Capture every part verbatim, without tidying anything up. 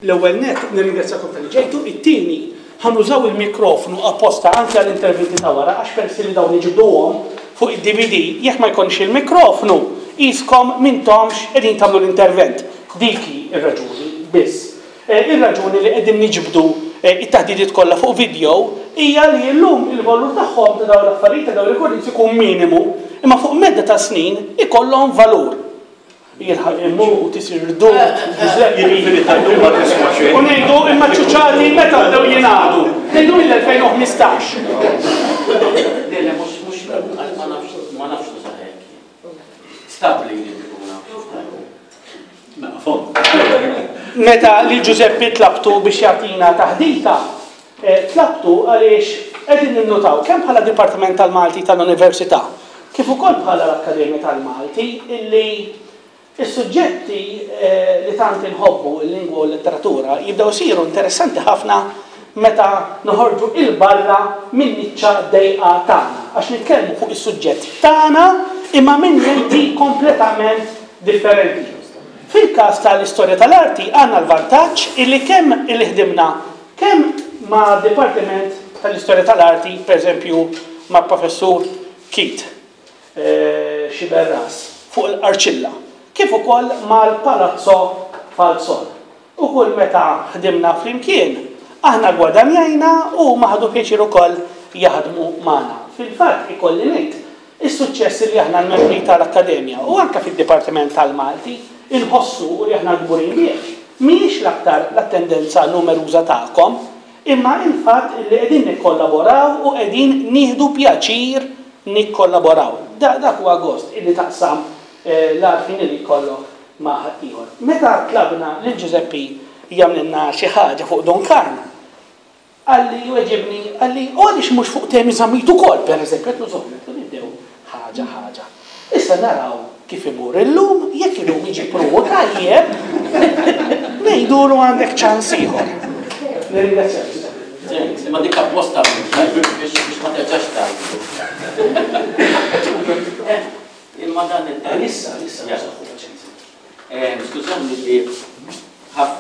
L-ewwel nett nirringrazzjakom talli ġejtu, it-tieni ħa nużaw il-mikrofonu apposta anke għall-interventi ta' wara għax peress li dawn iġibduhom fuq id-D V D, jekk ma jkunx il-mikrofonu qiskom m'intomx qegħdin tagħmlu l-intervent. Dik hi r-raġuni biss. Ir-raġuni li qegħdin niġbdu it-taħdidiet kollha fuq video hija li llum il-valur tagħhom ta' dawn l-affarijiet, ta' dawn recordings, ikun minimu, imma fuq medda ta' snin ikollhom valur. Jilħaq imut, isir dut. U ngħidu, imma ċuċati meta bdew jingħadu? Ngħidu mill-elfejn u ħmistax. Le, le, mhux, mhux, ma nafx, ma nafx nuża hekk. Stabli li ikun. Meta li Giuseppe tlabtu biex jagħtina taħdita, tlabtu għaliex qegħdin ninnutaw kemm bħala Dipartiment tal-Malti tal-Università, kif ukoll bħala l-Akkademja tal-Malti, illi is-suġġetti li tant inħobbu, il-lingwa u l-letteratura, jibdew isiru interessanti ħafna meta noħorġu 'il barra minn niċċa dejqa tagħna. Għax nitkellmu fuq is-suġġett tagħna imma minn lenti kompletament differenti. Fil-każ tal-istorja tal-arti għandna l-vantaġġ illi kemm illi ħdimna kemm ma' Dipartiment tal-Istorja tal-Arti, per eżempju, ma' Professur Keith Sciberras fuq l-Arċilla, kif ukoll mal-Palazzo Falzon. U kull meta ħdimna flimkien, aħna gwadanjajna u ħadu pjaċir ukoll jaħdmu magħna. Fil-fatt ikolli ngħid, is-suċċess li aħna l-membri tal-Akkademja u anke fid-Dipartiment tal-Malti inħossu u li aħna kburin bih, mhijiex l-aktar l-attendenza numeruża tagħkom, imma il-fatt li qegħdin nikkollaboraw u qegħdin nieħdu pjaċir nikkollaboraw. Dak huwa gost illi taqsam l-għarfien li jkollok ma' ħaddieħor. Meta tlabna lil Giuseppi jagħmlilna xi ħaġa fuq Dun Karm, qalli, weġibni, qalli, u għaliex mhux fuq Temi Zammit ukoll, per eżempju? Qed nużhom, nibdew ħaġa ħaġa. Issa naraw kif imur illum, jekk illum jiġi pruvu tajjeb, ngħidulu għandek ċans ieħor. Nirringrazzjak. Ma dik apposta biex ma terġax tgħidu. Imma dan il- Issa, issa. Skużawni li ħaf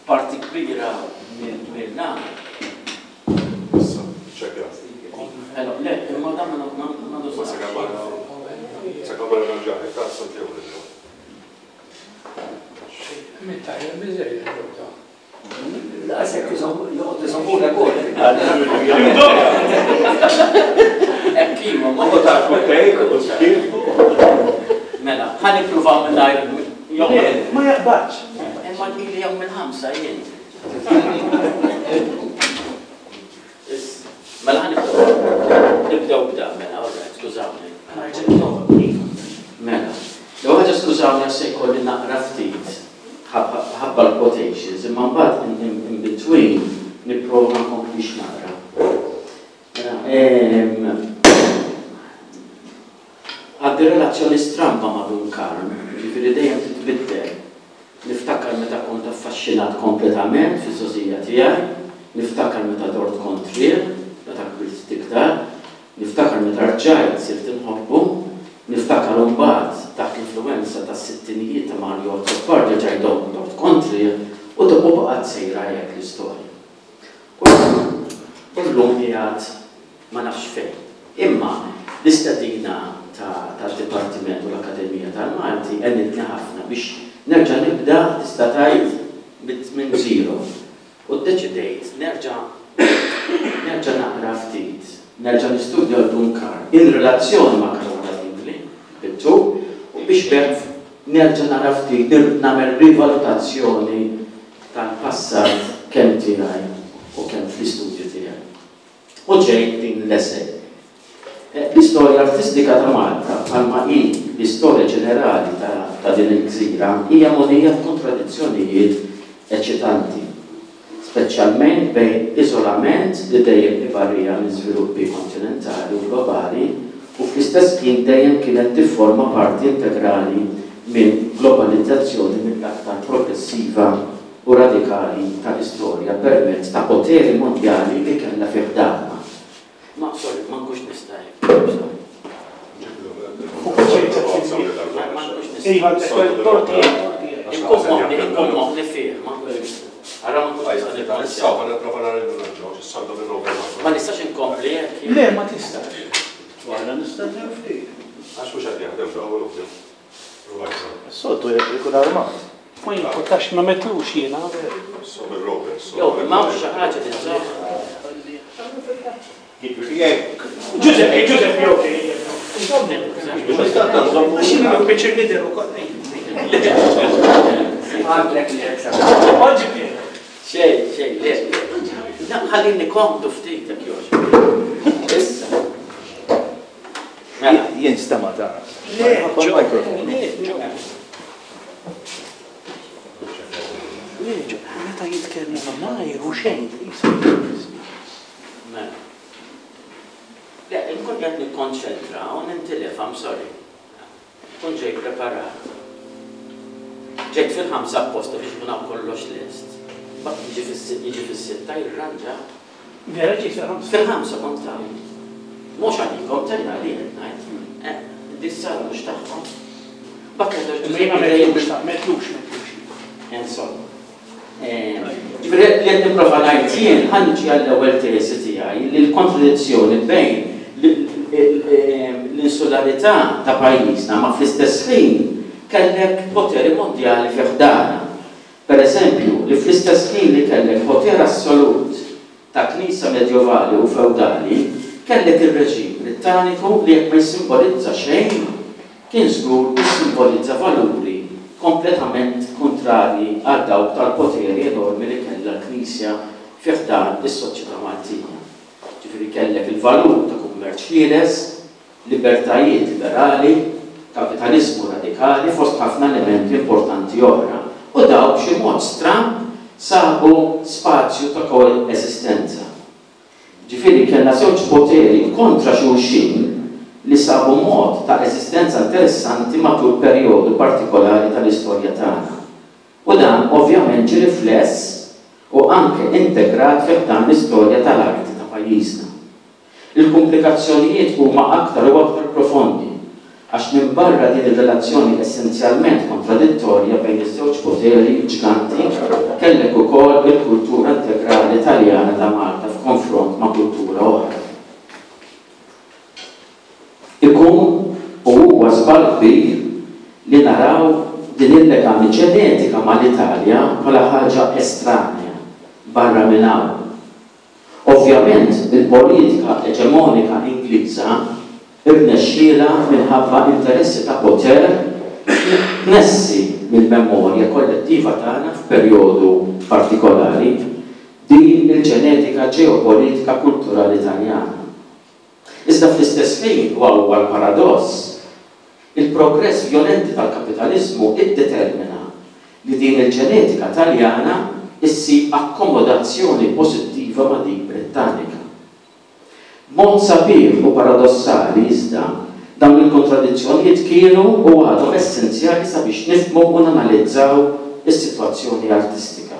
parti kbira mill-dan. Issa, ċekja. Le, imma dan ma Ma sakamara ranġari, ta' Santiago. Mit-tajja biżejjed. Laqsek joqgħod iżommuna wkoll. Hekk iva, ma U ta' kutejk u skif. Mela, ħa nippruvaw mingħajr. Ma jaqbadx. Imma li jom mill-ħamsa jien. Mela ħa nibdew. Nibdew b'da, mela, all right, skużawni. Mela, l-ewwel ħaġa, skużawni għax se jkolli naqra ftit ħabba l-quotations, imma mbagħad in, in, in between nipprova nkomplix naqra. Mela, em, għandi relazzjoni stramba ma' Dun Karm, ġifieri dejjem titbiddel. Niftakar meta kont affaxxinat kompletament fiż-żgħożija tiegħi, niftakar meta dort kontrih, meta kbirt iktar, niftakar meta rġajt sirt inħobbu, niftakar mbagħad taħt l-influenza tas-sittinijiet ta' Mario Azzopardi rġajt dort kontrih u dopu baqgħet sejra hekk l-istorja. U llum qiegħed ma nafx fejn. Imma l-istedina tad-Dipartiment u l-Akkademija tal-Malti għenitni ħafna biex nerġa' nibda, tista' tgħid, minn zero. U ddeċidejt nerġa' nerġa' naqra ftit, nerġa' nistudja l-Dun Karm in relazzjoni ma' Caruana Dingli, bittu, u biex b'hekk nerġa' nara ftit, nagħmel rivalutazzjoni tal-passat kemm tiegħi u kemm fl-istudju tiegħi. U ġejt din l-essay. L-istorja artistika ta' Malta, bħalma hi l-istorja ġenerali ta' din il-gżira, hija mogħnija f'kontradizzjonijiet eċitanti, speċjalment bejn iżolament li dejjem ivarja minn żviluppi kontinentali u globali u fl-istess ħin dejjem kienet tifforma parti integrali minn globalizzazzjoni mill-aktar progressiva u radikali tal-istorja permezz ta' poteri mondjali li kellha fi ħdanha. Ma, sorry, ma nkunx nista' hekk. Ma nkunx nista'. Iva, torti. Inkun moħħni, inkun moħħni fih, ma nkunx nista'. Ara ma nkunx nista' nikkonċentra. Ma nistax inkompli hekk. Le, ma tistax. Waħna nistennew ftit. Għax mhux qed jaħdem dawn. Is-soltu jkun armat. Ma jimpurtax ma metlux jiena. Jew, ma hawnx xi ħaġa tiżżomm. Giuseppe, Giuseppe, ok. Għax jiena pjaċir nidher ukoll. Għandek li jekk. Oġġi. Xejn, xejn, le. Ħallini komdu ftit jekk jogħġbok. Issa. Mela. Jien stema' ta' Le, mikrofon. Le, ġo. Le, ġo, meta jitkellmu ma' xejn. Mela. Le, nkun qed nikkonċentra u nintilef, I'm sorry. Kun ġej preparat. Ġejt fil-ħamsa apposta biex ikun hawn kollox lest. Mbagħad jiġi fis-sitta, jiġi fis-sitta jirranġa. Vera ġejt fil-ħamsa. Fil-ħamsa kont hawn. Mhux għalikom, tenna li qed ngħid. Eh, dis-sala mhux tagħhom. Mbagħad meta Imma jiena metlux, ta' metlux, metlux. Insomma. Ġifieri li qed nipprova ngħid jien ħa niġi għall-ewwel teżi tiegħi li l-kontradizzjoni bejn l-insularità ta' pajjiżna ma fl-istess ħin kellek poteri mondjali fi ħdana. Per eżempju, li fl-istess ħin li kellek poter assolut ta' knisja medjovali u feudali, kellek ir-reġim Brittaniku li jekk ma jissimbolizza xejn, kien żgur jissimbolizza valuri kompletament kontrarji għal dawk tal-poteri enormi li kellha l-Knisja fi ħdan is-soċjetà Maltija. Ġifieri kellek il-valur ta' kummerċ ħieles, libertajiet liberali, kapitalizmu radikali fost ħafna elementi importanti oħra. U dawk b'xi mod stramb sabu spazju ta' koeżistenza. Ġifieri kellna żewġ poteri kontra xulxin li sabu mod ta' eżistenza interessanti matul perjodu partikolari tal-istorja tagħna. U dan ovvjament ġie rifless u anke integrat fi ħdan l-istorja tal-arti ta' pajjiżna. Il-komplikazzjonijiet huma aktar u aktar profondi għax minbarra din ir-relazzjoni essenzjalment kontradittorja bejn iż-żewġ poteri ġganti kellek ukoll il-kultura integrali Taljana ta' Malta f'konfront ma' kultura oħra. Ikun u huwa żball kbir li naraw din il-legami ġenetika mal-Italja bħala ħaġa estranja barra minn hawn. Ovvjament il-politika eġemonika Ingliża irnexxielha minħabba interessi ta' poter tnessi mill-memorja kollettiva tagħna f'perjodu partikolari din il-ġenetika ġeopolitika kulturali Taljana. Iżda fl-istess ħin, u huwa l-paradoss, il-progress violenti tal-kapitalizmu iddetermina li din il-ġenetika Taljana issib akkomodazzjoni pożittiva ma' dik Brittanika. Mod sabiħ u paradossali iżda, dawn il-kontradizzjonijiet kienu u għadhom essenzjali sabiex nifhmu u nanalizzaw is-sitwazzjoni artistika.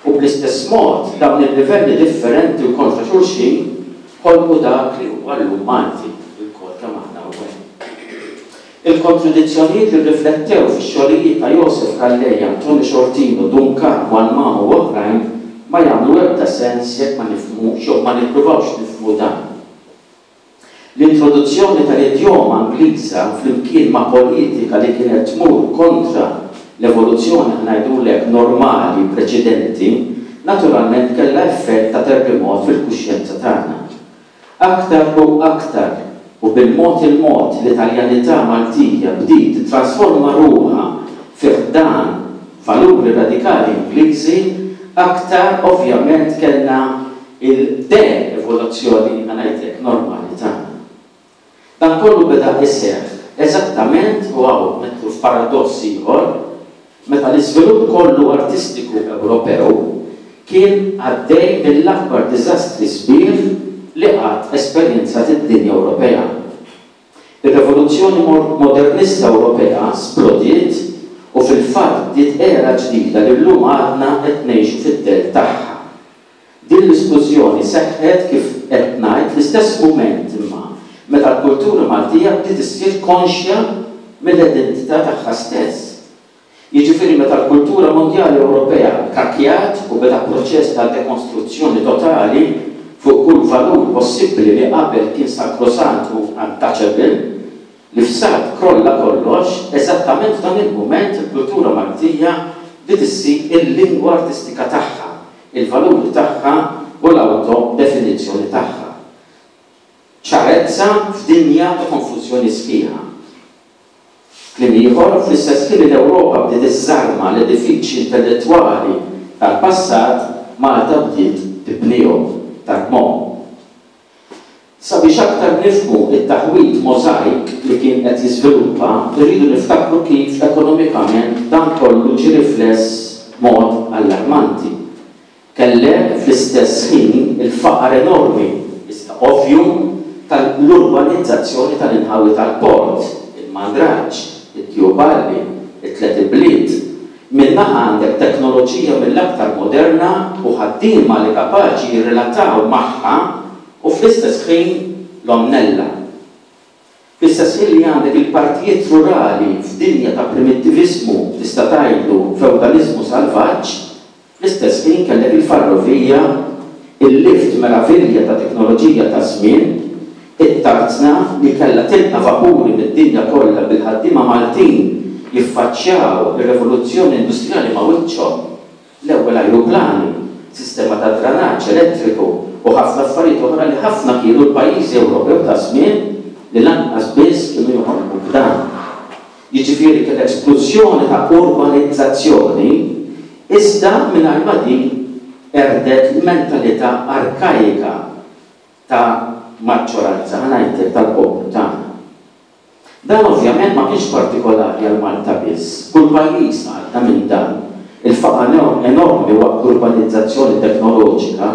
U bl-istess mod, dawn il-livelli differenti u kontra xulxin ħolqu dak li huwa llum Malti, il-kol kemm aħna hawnhekk. Il-kontradizzjonijiet li rriflettew fix-xogħlijiet ta' Josef Calleja, Tony Sciortino, Dun Karm, Juan Mamo u oħrajn ma jagħmlu ebda sens jekk ma nifhmux jew ma nippruvawx nifhmu dan. L-introduzzjoni tal-idjoma Ingliża flimkien ma' politika li kienet tmur kontra l-evoluzzjoni ħnajdulek normali preċedenti, naturalment kellha effett ta' terremot fil-kuxjenza tagħna. Aktar u aktar u bil-mod il-mod l-Italjanità Maltija bdiet titrasforma ruħha fi ħdan valuri radikali Ingliżi, aktar ovvjament kellna il-de-evoluzzjoni ngħidlek normali tagħna. Dan kollu beda iseħħ eżattament u hawn nidħlu f'paradoss ieħor meta l-iżvilupp kollu artistiku Ewropew kien għaddej mill-akbar diżastri sbieħ li qatt esperjenzat id-dinja Ewropea. Ir-rivoluzzjoni modernista Ewropea splodiet u fil-fatt bdiet era ġdida li llum għadna qed ngħixu fid-dell tagħha. Din l-isplużjoni seħħet kif qed ngħid fl-istess mument imma meta l-kultura Maltija bdiet issir konxja mill-identità tagħha stess. Jiġifieri meta l-kultura mondjali Ewropea kakjat u beda proċess ta' dekonstruzzjoni totali fuq kull valur possibbli li qabel kien sakrosant u untouchable, li f'salt krolla kollox, eżattament f'dan il-mument il-kultura Maltija bdiet issib il-lingwa artistika tagħha, il-valuri tagħha u l-autodefinizzjoni tagħha. Ċarezza f'dinja ta' konfużjoni sħiħa. Kliem ieħor, fl-istess ħin li l-Ewropa bdiet iżżarma l-edifiċji intellettwali tal-passat, Malta bdiet tibnihom, tarmhom. Sabiex aktar nifhmu it-taħwid możajk li kien qed jiżviluppa, irridu niftakru kif ekonomikament dan kollu ġie rifless b'mod allarmanti. Kellek fl-istess ħin il-faqar enormi, iżda ovvju, tal-urbanizzazzjoni tal-inħawi tal-port, il-Mandraġġ, it-Tjuballi, it-Tliet Ibliet. Minn naħa għandek teknoloġija mill-aktar moderna u ħaddiema li kapaċi jirrelataw magħha u fl-istess ħin l-omnella. Fl-istess ħin li għandek il-partijiet rurali f'dinja ta' primittiviżmu, tista' tgħidlu feudaliżmu salvaġġ, fl-istess ħin kellek il-ferrovija, il-lift meravilja ta' teknoloġija ta' żmien, it-tarzna li kellha tilqa' vapuri mid-dinja kollha bil-ħaddiema Maltin jiffaċċjaw ir-rivoluzzjoni industrijali ma' wiċċhom, l-ewwel ajruplani, sistema ta' dranaġġ elettriku u ħafna affarijiet oħra li ħafna kienu l-pajjiżi Ewropew ta' żmien li lanqas biss kienu joħolmu b'dan. Jiġifieri kien esplużjoni ta' urbanizzazzjoni iżda mingħajr ma din erdet l-mentalità arkajika ta' maġġoranza, ħa ngħidlek, tal-poplu tagħna. Dan ovvjament ma kienx partikolari għal Malta biss, kull pajjiż għadda minn dan. Il-faqar enormi waqt l-urbanizzazzjoni teknoloġika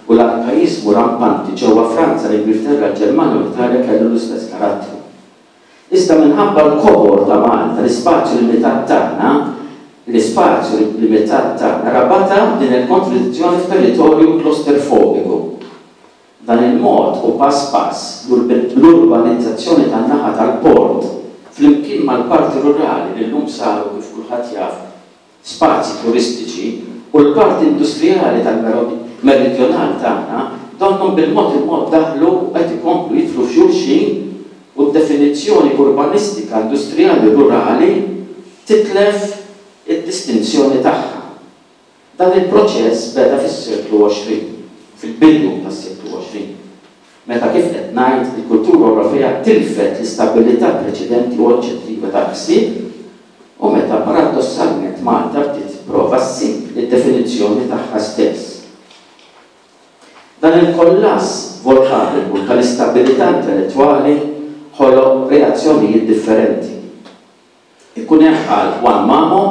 u l-arkaiżmu rampanti ġewwa Franza, l-Ingilterra, l-Ġermanja u l-Italja kellu l-istess karattru. Iżda minħabba l-kobor ta' Malta, l-ispazju limitat tagħna, l-ispazju limitat tagħna rabata din il-kontradizzjoni f'territorju klosterfobiku. Dan il-mod u pass pass l-urbanizzazzjoni tan-naħa tal-port flimkien mal-parti rurali li llum saru kif kulħadd jaf spazji turistiċi u l-parti industrijali tal-meridjonal tagħna donnhom bil-mod il-mod daħlu u qed ikomplu jidħlu f'xulxin u d-definizzjoni urbanistika industrijali rurali titlef id-distinzjoni tagħha. Dan il-proċess beda fis-seklu għoxrin, fil-bidu tas-seklu għoxrin, meta kif qed ngħid il-kultura Ewropea tilfet l-istabilità preċedenti u oġġettiva tal-ħsieb u meta paradossalment Malta bdiet tipprova ssib id-definizzjoni tagħha stess. Dan il-kollass volkaniku tal-istabilità intellettwali ħoloq reazzjonijiet differenti. Ikun hemm bħal Juan Mamo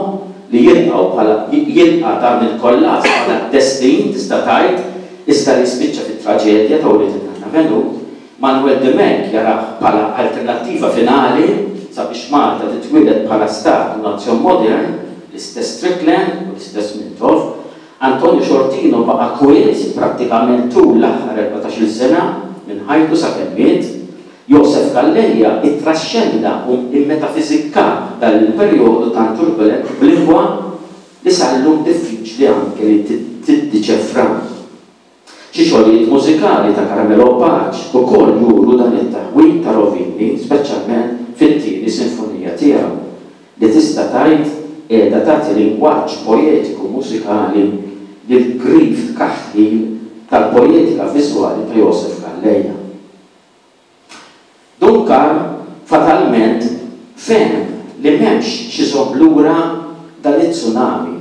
li jilqgħu bħala jilqa' dan il-kollass bħala destin tista' tgħid iżda li spiċċa fit-traġedja ta' Ulied in-Nanna Venut, Manuel Dimech jarah bħala alternattiva finali sabiex Malta titwieled bħala stat u nazzjon modern, l-istess Strickland u l-istess Mintoff. Antonio Sciortino baqa' kwiet prattikament tul l-aħħar erbatax-il sena minn ħajtu sakemm miet. Josef Calleja ittraxxenda u immetafizikka dan il-perjodu tant turbulent b'lingwa li sal-lum diffiċli anke li tiddiċefra. Xi xogħlijiet mużikali ta' Carmelo Pace ukoll juru dan it-taħwid ta' rovini, speċjalment fit-tieni sinfonija tiegħu, li tista' tgħid qiegħda tagħti lingwaġġ poetiku mużikali lil grif tkaħħil tal-poetika viżwali ta' Josef Calleja. Dun Karm fatalment fehem li m'hemmx xi żomm lura dan it-tsunami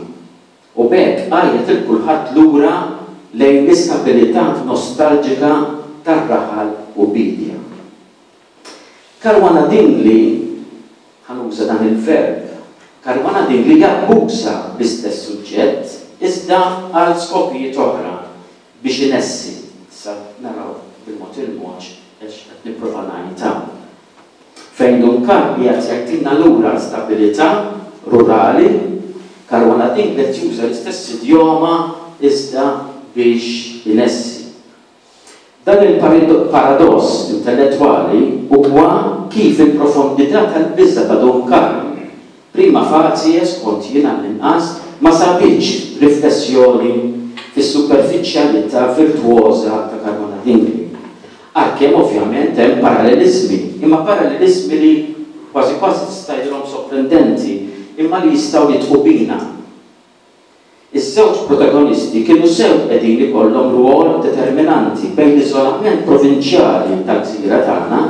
u b'hekk għajjet il kulħadd lura lejn l-istabilità nostalġika tar-raħal u bidja. Caruana Dingli, ħanuża dan il-verb, Caruana Dingli jabbuża l-istess suġġett iżda għal skopijiet oħra biex inessi. Issa naraw bil-mod il-mod għax qed nipprova ngħid hawn. Fejn Dun Karm qiegħed jgħidilna lura l-stabilità rurali, Caruana Dingli qed juża l-istess idjoma iżda biex inessi. Dan il-paradoss intellettwali huwa kif il-profondità tal-biża' ta' Dun Karm Prima facie, skont jien għall-inqas, ma sabitx riflessjoni fis-superfiċjalità virtuosa ta' Caruana Dingli. Għalkemm ovvjament hemm parallelizmi, imma parallelizmi li kważi kważi tista' tgħidilhom sorprendenti, imma li jistgħu jidħku bina. Iż-żewġ protagonisti kienu sew qegħdin ikollhom rwol determinanti bejn l-iżolament provinċjali tal-gżira tagħna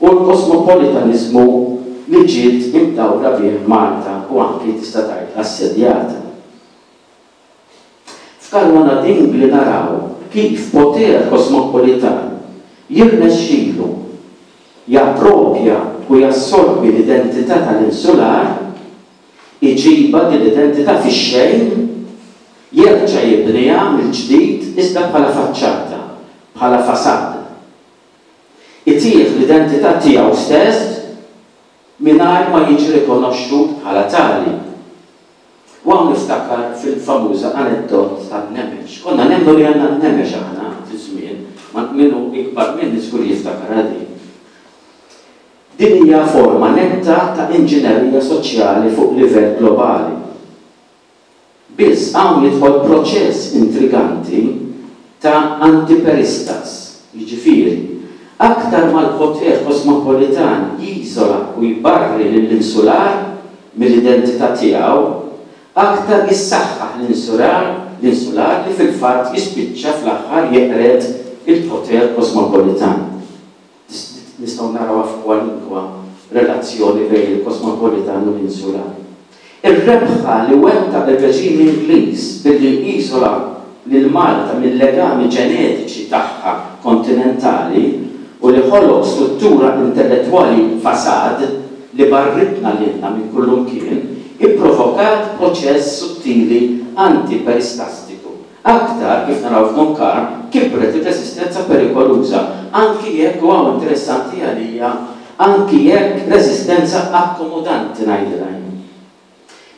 u l-kosmopolitaniżmu li ġiet imdawra bih Malta u anki tista' tgħid assedjata. F'Caruana Dingli naraw kif poter kosmopolitan jirnexxilu jappropja u jassorbi l-identità tal-insular, iġibha din l-identità fix-xejn, jerġa' jibniha mill-ġdid iżda bħala faċċata, bħala fasad. Itih l-identità tiegħu stess mingħajr ma jiġi rikonoxxut bħala tali. U hawn niftakar fil-famuża aneddot tan-nemex. Konna nemmnu li għandna n-nemex aħna fi żmien, ma minnu ikbar minni żgur jiftakar din. Din hija forma netta ta' inġinerija soċjali fuq livell globali. Biss hawn jidħol proċess intriganti ta' antiperistas, jiġifieri, aktar mal-poter kosmopolitan jiżola u jbarri lill-insular mill-identità tiegħu, aktar jissaħħaħ l-insular, l-insular li fil-fatt jispiċċa fl-aħħar jeqred il-poter kosmopolitan. Nistgħu naraw f'kwalunkwa relazzjoni bejn il-kosmopolitan u l-insular. Ir-rebħa li wettaq ir-reġim Ingliż billi iżola lil Malta mill-legami ġenetiċi tagħha kontinentali u li ħoloq struttura intellettwali fasad li barritna lilna minn kullumkien, ipprovokat proċess sottili antiperistastiku. Aktar, kif naraw f'Dun Karm, kibret ir-resistenza perikoluża, anki jekk, u hawn interessanti għalija, anki jekk resistenza akkomodanti ngħidilha jien.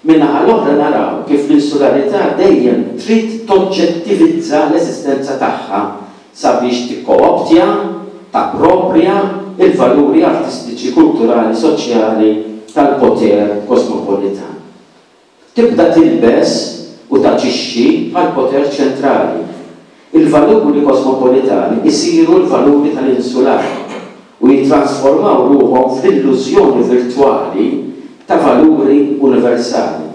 Min-naħa l-oħra naraw kif l-insularità dejjem trid toġġettivizza l-eżistenza tagħha sabiex tikkooptja, tappropria il-valuri artistiċi, kulturali, soċjali tal-poter kosmopolitan. Tibda tilbes u taġixxi bħal poter ċentrali. Il-valuri kosmopolitani isiru l-valuri tal-insular u jitransformaw ruħhom fl-illużjoni virtwali ta' valuri universali.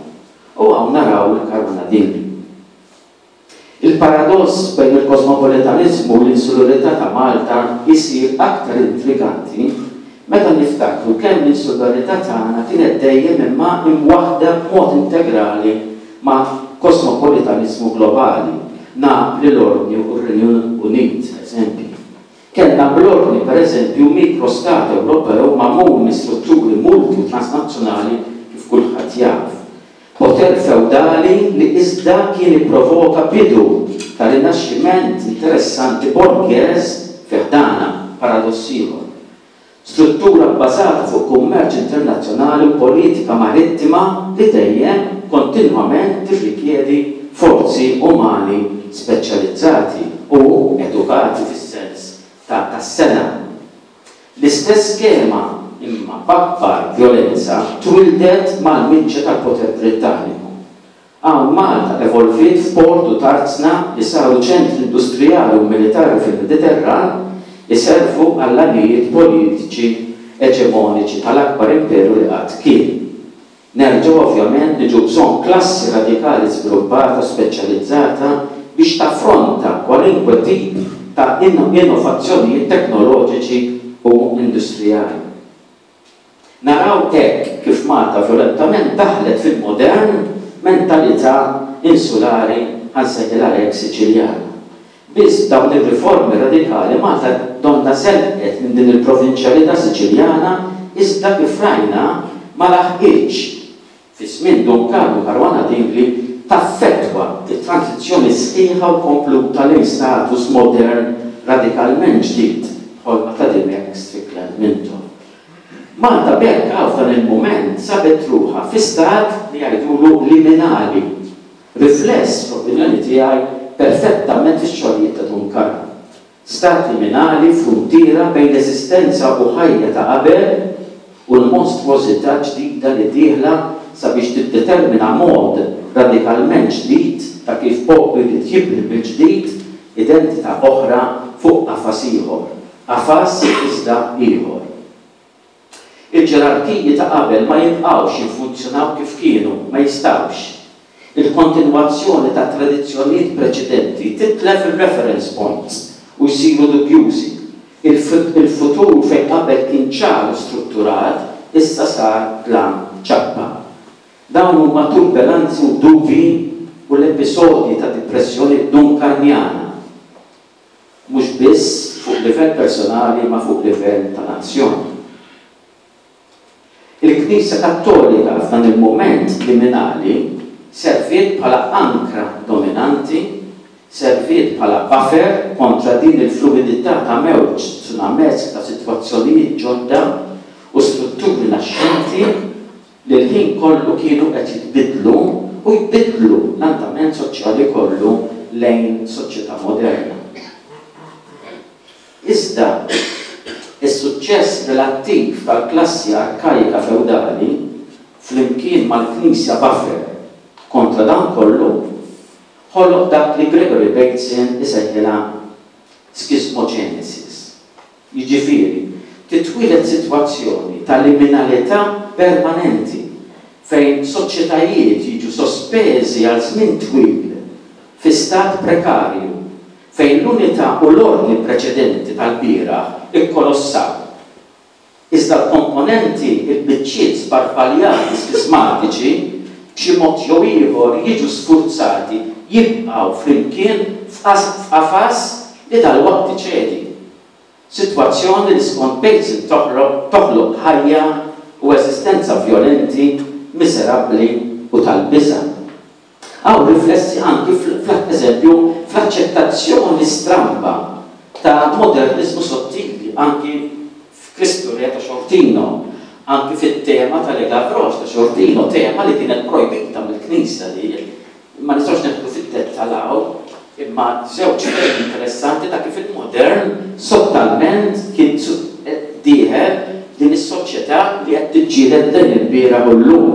U hawn naraw il-Caruana Dingli. Il-paradoss bejn il-kosmopolitanizmu u l-insularità ta' Malta isir aktar intriganti meta niftakru kemm l-insularità tagħna kienet dejjem imma imwaħda b'mod integrali ma' kosmopolitanizmu globali. Napli, l-Ordni u r-Renju Unit, eżempju. Kellna bl-Ordni, per eżempju, mikrostat Ewropew magħmul minn strutturi multi u transnazzjonali kif kulħadd jaf. Poter feudali li iżda kien ipprovoka bidu ta' rinaxximent interessanti borghese fi ħdana, paradoss ieħor. Struttura bbażata fuq kummerċ internazzjonali u politika marittima li dejjem kontinwament tirrikjedi forzi umani speċjalizzati u edukati fis-sens ta' tas-sena. L-istess skema imma b'akbar violenza twildet mal-miġja tal-poter Britanniku. Hawn Malta evolviet f'port u tarzna li saru ċentri industrijali u militari fil-Mediterran iservu għall-għanijiet politiċi eġemoniċi tal-akbar imperu li qatt kien. Nerġgħu ovvjament niġu bżonn klassi radikali żviluppata u speċjalizzata biex taffronta kwalinkwe tip ta' innovazzjonijiet teknoloġiċi u industrijali. Naraw hekk kif Malta violentament daħlet fil-modern mentalità insulari ħa nsejħilha hekk Siċiljana. Biss dawn ir-riformi radikali Malta donna żelqet minn din il-provinċjalità Siċiljana iżda kif rajna ma laħqitx fi żmien Dun Karm u Caruana Dingli taffettwa it-transizzjoni sħiħa u kompluta lejn status modern radikalment ġdid bħolma ta' Dimech Strickland Mintoff. Malta b'hekk għaw f'dan il-moment sabet ruħha fi stat li jgħidulu liminali, rifless fl-opinjoni tiegħi perfettament fix-xogħlijiet ta' Dun Karm. Stat liminali, fruntiera bejn l-eżistenza u ħajja ta' qabel u l-monstruosità ġdida li dieħla sabiex tiddetermina mod radikalment ġdid ta' kif poplu jrid jibni mill-ġdid identità oħra fuq qafas ieħor, qafas iżda ieħor. Il-ġerarkiji ta' qabel ma jibqgħux jiffunzjonaw kif kienu, ma jistgħux. Il-kontinwazzjoni ta' tradizzjonijiet preċedenti titlef il-reference points u jsiru dubjużi. Il-futur fejn qabel kien ċar u strutturat, issa sar dlam ċappa. Dawn huma turbulenzi u dubji u l-episodji ta' depressjoni dunkarnjana, mhux biss fuq livell personali ma fuq livell ta' nazzjoni. Il-Knisja Kattolika f'dan il-moment liminali serviet bħala ankra dominanti, serviet bħala buffer kontra din il-fluidità ta' mewġ tsunamesk ta' sitwazzjonijiet ġodda u strutturi naxxenti li l-ħin kollu kienu qed jitbidlu u jbidlu l-andament soċjali kollu lejn soċjetà moderna. Iżda, is-suċċess relattiv tal-klassi arkajka feudali flimkien mal-Knisja buffer kontra dan kollu ħoloq dak li Gregory Bateson isejħilha schismogenesis. Jiġifieri, titwieled sitwazzjoni ta' liminalità permanenti fejn soċjetajiet jiġu sospeżi għal żmien twil fi stat prekarju fejn l-unità u l-ordni preċedenti tal-bieraħ ikkolossaw. Iżda l-komponenti, il-biċċiet sparpaljati skismatiċi b'xi mod jew ieħor jiġu sfurzati jibqgħu flimkien f'qafas li dalwaqt iċedi. Sitwazzjoni li skont Bateson toħloq ħajja u eżistenza vjolenti, miżerabbli u tal-biża'. Hawn riflessi anki fl-eżempju fl-aċċettazzjoni stramba ta' modernizmu sottili, anki f'Kristu Re ta' Sciortino, anki fit-tema ta' Le Gavroche ta' Sciortino, tema li kienet projbita mill-Knisja li ma nistgħux neħdu fid-dettall hawn, imma żewġ temi interessanti ta' kif il-modern sottalment kien dieħel din is-soċjetà li qed tiġġieled dan il-bieraħ u llum.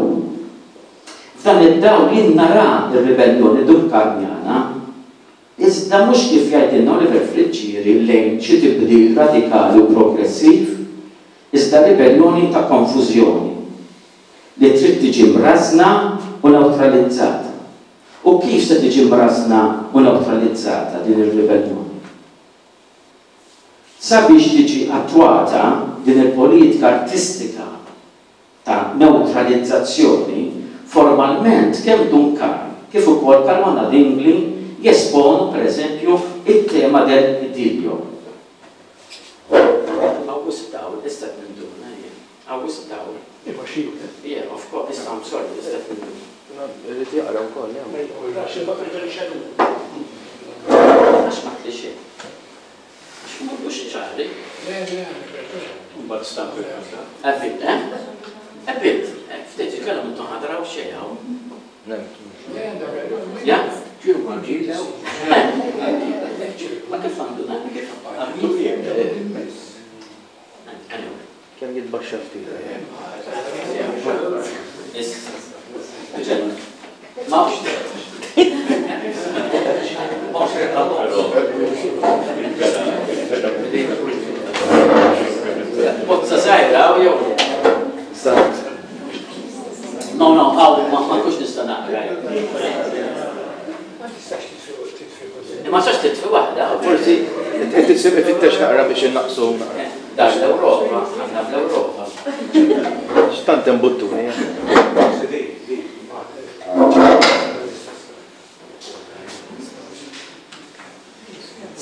F'dan id-dawl jien nara r-ribellioni dunkarnjana, iżda mhux kif jgħidilna Oliver Friggieri lejn xi tibdil radikali u progressiv, iżda ribellioni ta' konfużjoni li trid tiġi mrażna u neutralizzata. U kif se tiġi mrażna u neutralizzata din ir-ribellioni? Sabiex tiġi attwata din il-politika artistika ta' neutralizzazzjoni, formalment kemm Dun Karm kif ukoll Caruana Dingli jesponu pereżempju it-tema del idillio. Hawn dawl, issa ninduna jien. Hawn dawl. Iva xi. Yeah, of course, issa I'm sorry, issa ninduna. Irrid jaqra wkoll, jew. Għax ma tlixi. Għax mhux ċari. Le, le, Mbagħad stampi. A bit, eh? A bit. Ftit jitkellem intom ħadraw xejn hawn. Ja? Ma kif għandu dan? Kif għandu? Anyway. Kemm jitbaxxa ftit. Issa. Ma hux. Ma hux. Bozza żgħira jew? No, no, hawn ma nkunx nista' naqra. Ma tistax titfi. Ma tistax titfi waħda. Forsi qed ifittex naqra biex innaqsu naqra. Dar l-Ewropa, aħna fl-Ewropa. X'tant hemm buttuni.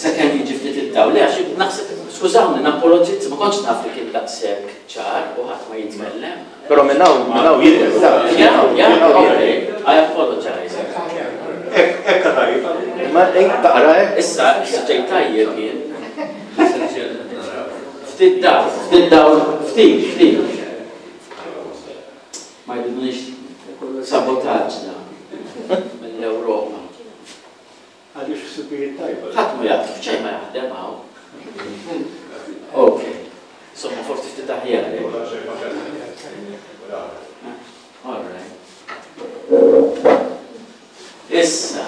Sakemm jiġi ftit id-dawl, le għax naħseb, skużawni, napologizz, ma kontx naf li kien daqshekk ċar u ħadd ma jitkellem. Però minn hawn, minn hawn jidher. Ja, ja, okay. I apologize. Ekka tajjeb. Ma taqra hekk? Issa, issa ġej tajjeb jien. Ftit dawl, ftit dawl, ftit, ftit. Ma jridunix sabotaġġ da mill-Ewropa. Għaliex ħsibijiet tajba. Ħadd ma jaf, xejn ma jaħdem hawn. Ok. Insomma, forsi ftit aħjar. All right. Issa,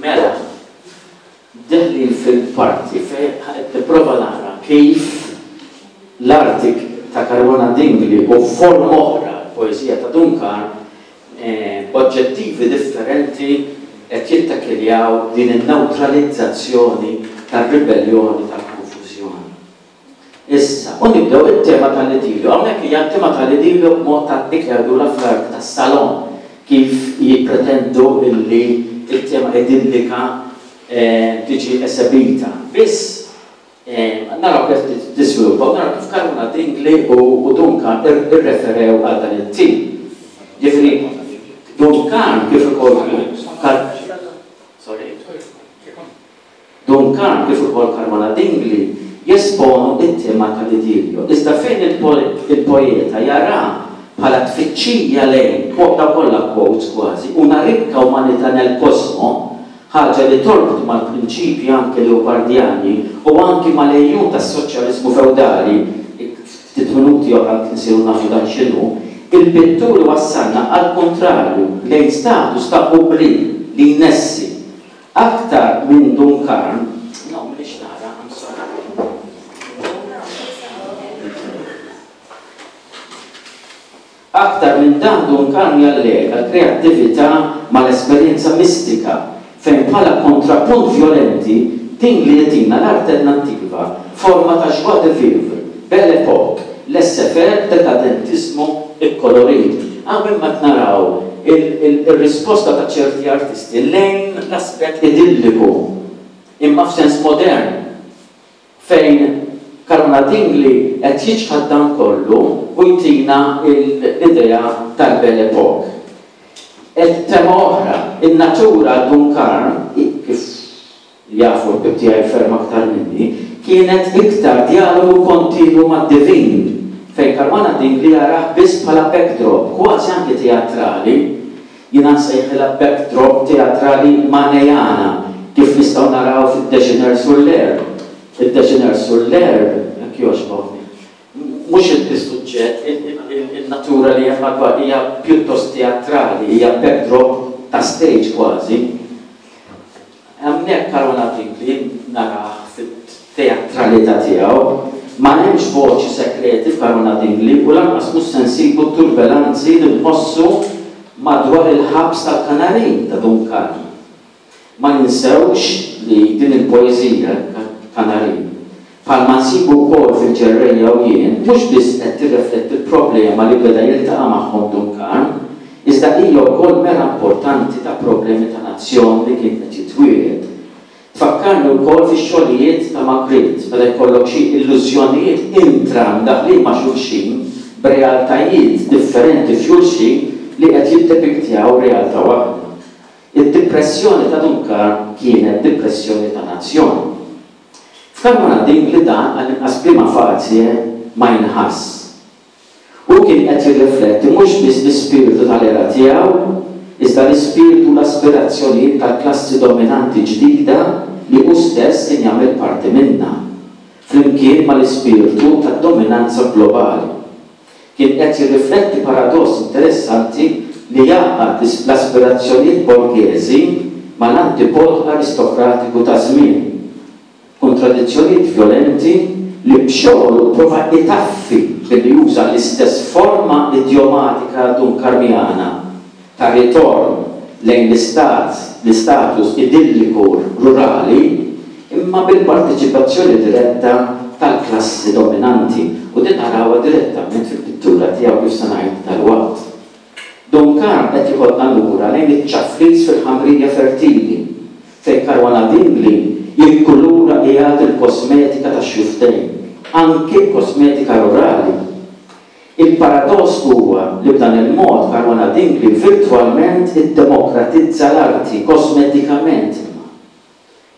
mela, deħlin fil-parti fejn nipprova nara kif l-arti ta' Caruana Dingli u forma oħra, poeżija ta' Dun Karm, oġġettivi differenti qed jittakiljaw din in-neutralizzazzjoni tar-ribellioni tal-konfużjoni. Issa, u nibdew it-tema tal-idilju. Hawnhekk hija t-tema tal-idilju b'mod ta' dik li jgħidulha fl-art tas-salon, kif jippretendu illi il-tema idillika tiġi esebita. Biss naraw kif tiżviluppa, naraw kif Caruana Dingli u Dun Karm irreferew għal dan it-tip. Ġifieri, Dun Karm kif ukoll Sorry. Dun Karm kif ukoll Caruana Dingli jesponu it-tema tal-idilju. Iżda fejn il-poeta jara bħala tfittxija lejn, daw kollha quotes kważi, una ricca umanità nel cosmo, ħaġa li torbot mal-prinċipji anke leopardjani u anki mal-ejjun tas-soċjaliżmu feudali, ftit minuti oħra nsiru nafu dan x'inhu, il-pittur wassalna għal kontrarju lejn status ta' oubli li jnessi. Aktar minn Dun Karm, no, m'iniex nara, I'm sorry. Aktar minn dan Dun Karm jallega l-kreattività mal-esperjenza mistika, fejn bħala kontrapunt violenti Dingli jtina l-alternattiva, forma ta' joie de vivre, belle époque, laissez-faire, dekadentismu ikkolorit. Hawn imma naraw il-risposta ta' ċerti artisti lejn l-aspett idilliku, imma f'sens modern, fejn Caruana Dingli qed jiċħad dan kollu u jtina l-idea tal-belle époque. Et tema oħra, in-natura Dun Karm, kif jafu l-ħbieb tiegħi ferm aktar minni, kienet iktar dialogu kontinwu mad-divin, fejn Caruana Dingli jarah biss bħala backdrop, kważi anke teatrali, jiena nsejħilha backdrop teatrali manejana, kif nistgħu naraw fid-Déjeuner sur l'herbe. Id-Déjeuner sur l'herbe, jekk jogħġbok, mhux il-suġġett, il-natura li hemm madwar hija pjuttost teatrali, hija backdrop ta' stage kważi. Hemmhekk Caruana Dingli narah fit-teatralità tiegħu, ma hemmx voċi sekreti f'Caruana Dingli u lanqas mhux se nsibu turbulenzi li nħossu madwar il-ħabs tal-Kanarin ta' Dun Karm. Ma ninsewx li din il-poeżija Kanarin, bħalma nsibu wkoll fil-ġerrejja u jien, mhux biss qed tirrifletti l-problema li beda jiltaqa' magħhom Dun Karm, iżda hija wkoll mera importanti ta' problemi ta' nazzjon li kien qed jitwieled. Tfakkarni wkoll fix-xogħlijiet ta' Magritte, meta jkollok xi illużjonijiet intra mdaħlin ma' xulxin b'realtajiet differenti f'xulxin li qed jiddepiktjaw realtà waħda. Id-depressjoni ta' Dun Karm kienet depressjoni ta' nazzjon. F'Caruana Dingli dan għall-inqas prima facie ma jinħass. U kien qed jirrifletti mhux biss l-ispirtu tal-era tiegħu, iżda l-ispirtu u l-aspirazzjonijiet tal-klassi dominanti ġdida li hu stess kien jagħmel parti minnha, flimkien mal-ispirtu tad-dominanza globali. Kien qed jirrifletti paradoss interessanti li jgħaqqad l-aspirazzjonijiet borghesi mal-antipod aristokratiku ta' żmien. Kontradizzjonijiet violenti li b'xogħlu prova itaffi billi juża l-istess forma idiomatika dunkarmiana ta' ritorn lejn l-istat, l-istatus idilliku rurali, imma bil-parteċipazzjoni diretta tal-klassi dominanti, u din narawha direttament fil-pittura tiegħu kif se ngħid dalwaqt. Dun Karm qed jieħodna lura lejn iċ-ċaflis fil-ħamrija fertili, fejn Caruana Dingli jikkulura qiegħed il-kosmetika tax-xuftejn, anki l-kosmetika rurali. Il-paradoss huwa li b'dan il-mod Caruana Dingli virtwalment iddemokratizza l-arti kosmetikament.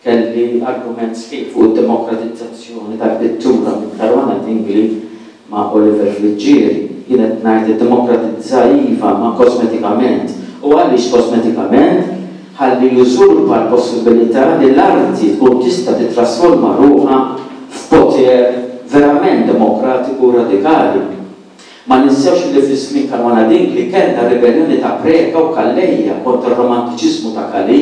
Kelli argument sħiħ fuq id-demokratizzazzjoni tal-pittura minn Caruana Dingli ma' Oliver Friggieri. Jien qed ngħid iddemokratizza iva ma' kosmetikament. U għaliex kosmetikament? Ħalli jużurpa l-possibilità li l-arti tkun tista' titrasforma ruħha f'poter verament demokratiku u radikali. Ma ninsewx li fi żmien Caruana Dingli kellna ribellioni ta' Preca u Calleja kontra r-romantiċiżmu ta' Calì,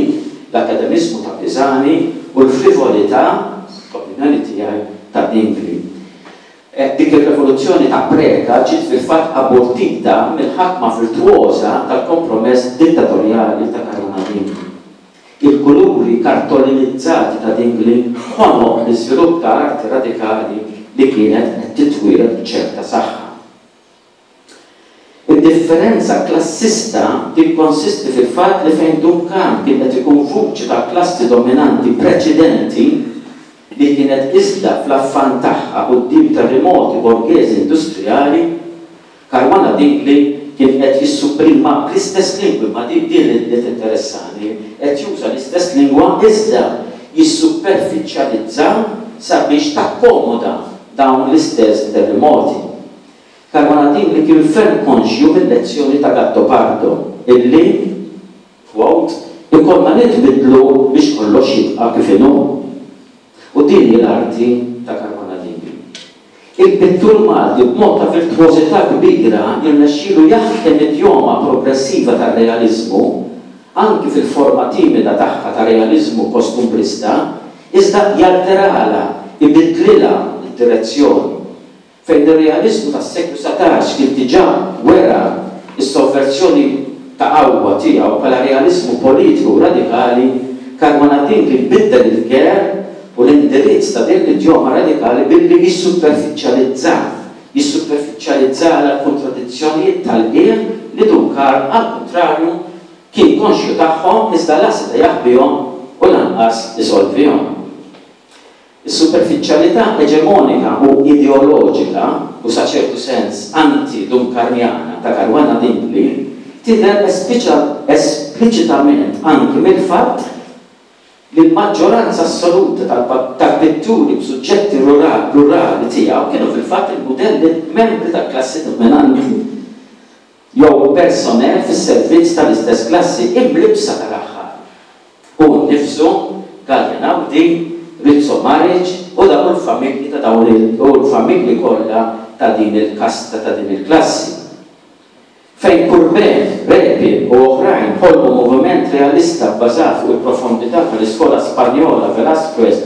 l-akkademiżmu ta' Pisani u l-frivolità, l-opinjoni tiegħi, ta' Dingli. Dik ir-rivoluzzjoni ta' Preca ġiet fil-fatt abortita mill-ħakma virtwoża tal-kompromess dittatorjali ta' Caruana Dingli. Il-kuluri kartolinizzati ta' Dingli ħonoq l-iżvilupp ta' arti radikali li kienet qed titwieled b'ċerta saħħa. Id-differenza klassista tikkonsisti fil-fatt li fejn Dun Karm kien qed ikun vuċi tal-klassi dominanti preċedenti li kienet iżda fl-affan tagħha quddiem terremoti borghesi industrijali, Caruana Dingli kien qed jissupprima bl-istess lingwi, ma din din li tinteressani, qed juża l-istess lingwa iżda jissuperfiċjalizza sabiex takkomoda dawn l-istess terremoti. Caruana Dingli kien ferm konxju mill-lezzjoni ta' Gattopardo illi, quote, ikollna nitbidlu biex kollox jibqa' kif inhu. U din hi l-arti ta' Caruana Dingli. Il-pittur Malti b'mod ta' virtwożità kbira jirnexxielu jaħkem idjoma progressiva tar-realiżmu, anki fil-forma timida tagħha ta' realiżmu kostumbrista, iżda jalteralha, ibiddlilha d-direzzjoni. Fejn ir-realiżmu tas-seklu satax kien diġà wera s-sovverzjoni ta' qawwa tiegħu bħala realiżmu politiku radikali, Caruana Dingli biddel il-ger u l-indirizz ta' din l-idjoma radikali billi jissuperfiċjalizza, jissuperfiċjalizzala l-kontradizzjonijiet tal-qiegħ li Dun Karm għall-kuntrarju kien konxju tagħhom iżda la seta' jaħbihom u lanqas isolvihom. Is-superfiċjalità eġemonika u ideoloġika u sa ċertu sens anti-Dunkarmjana ta' Caruana Dingli tidher espliċitament anki mill-fatt li l-maġġoranza assoluta tal-pitturi b'suġġetti rurali tiegħu kienu fil-fatt il-mudelli membri tal-klassi dominanti jew personnel fis-servizz tal-istess klassi imlibsa tal-aħħar. Hu nnifsu, Galea Naudi, Rizzo Maric u dawn il-familji ta' dawn u l-familji kollha ta' din il-kasta ta' din il-klassi. Fejn Courbet, Repin u oħrajn ħolqu moviment realista bbażat fuq il-profondità tal-iskola Spanjola, Velázquez,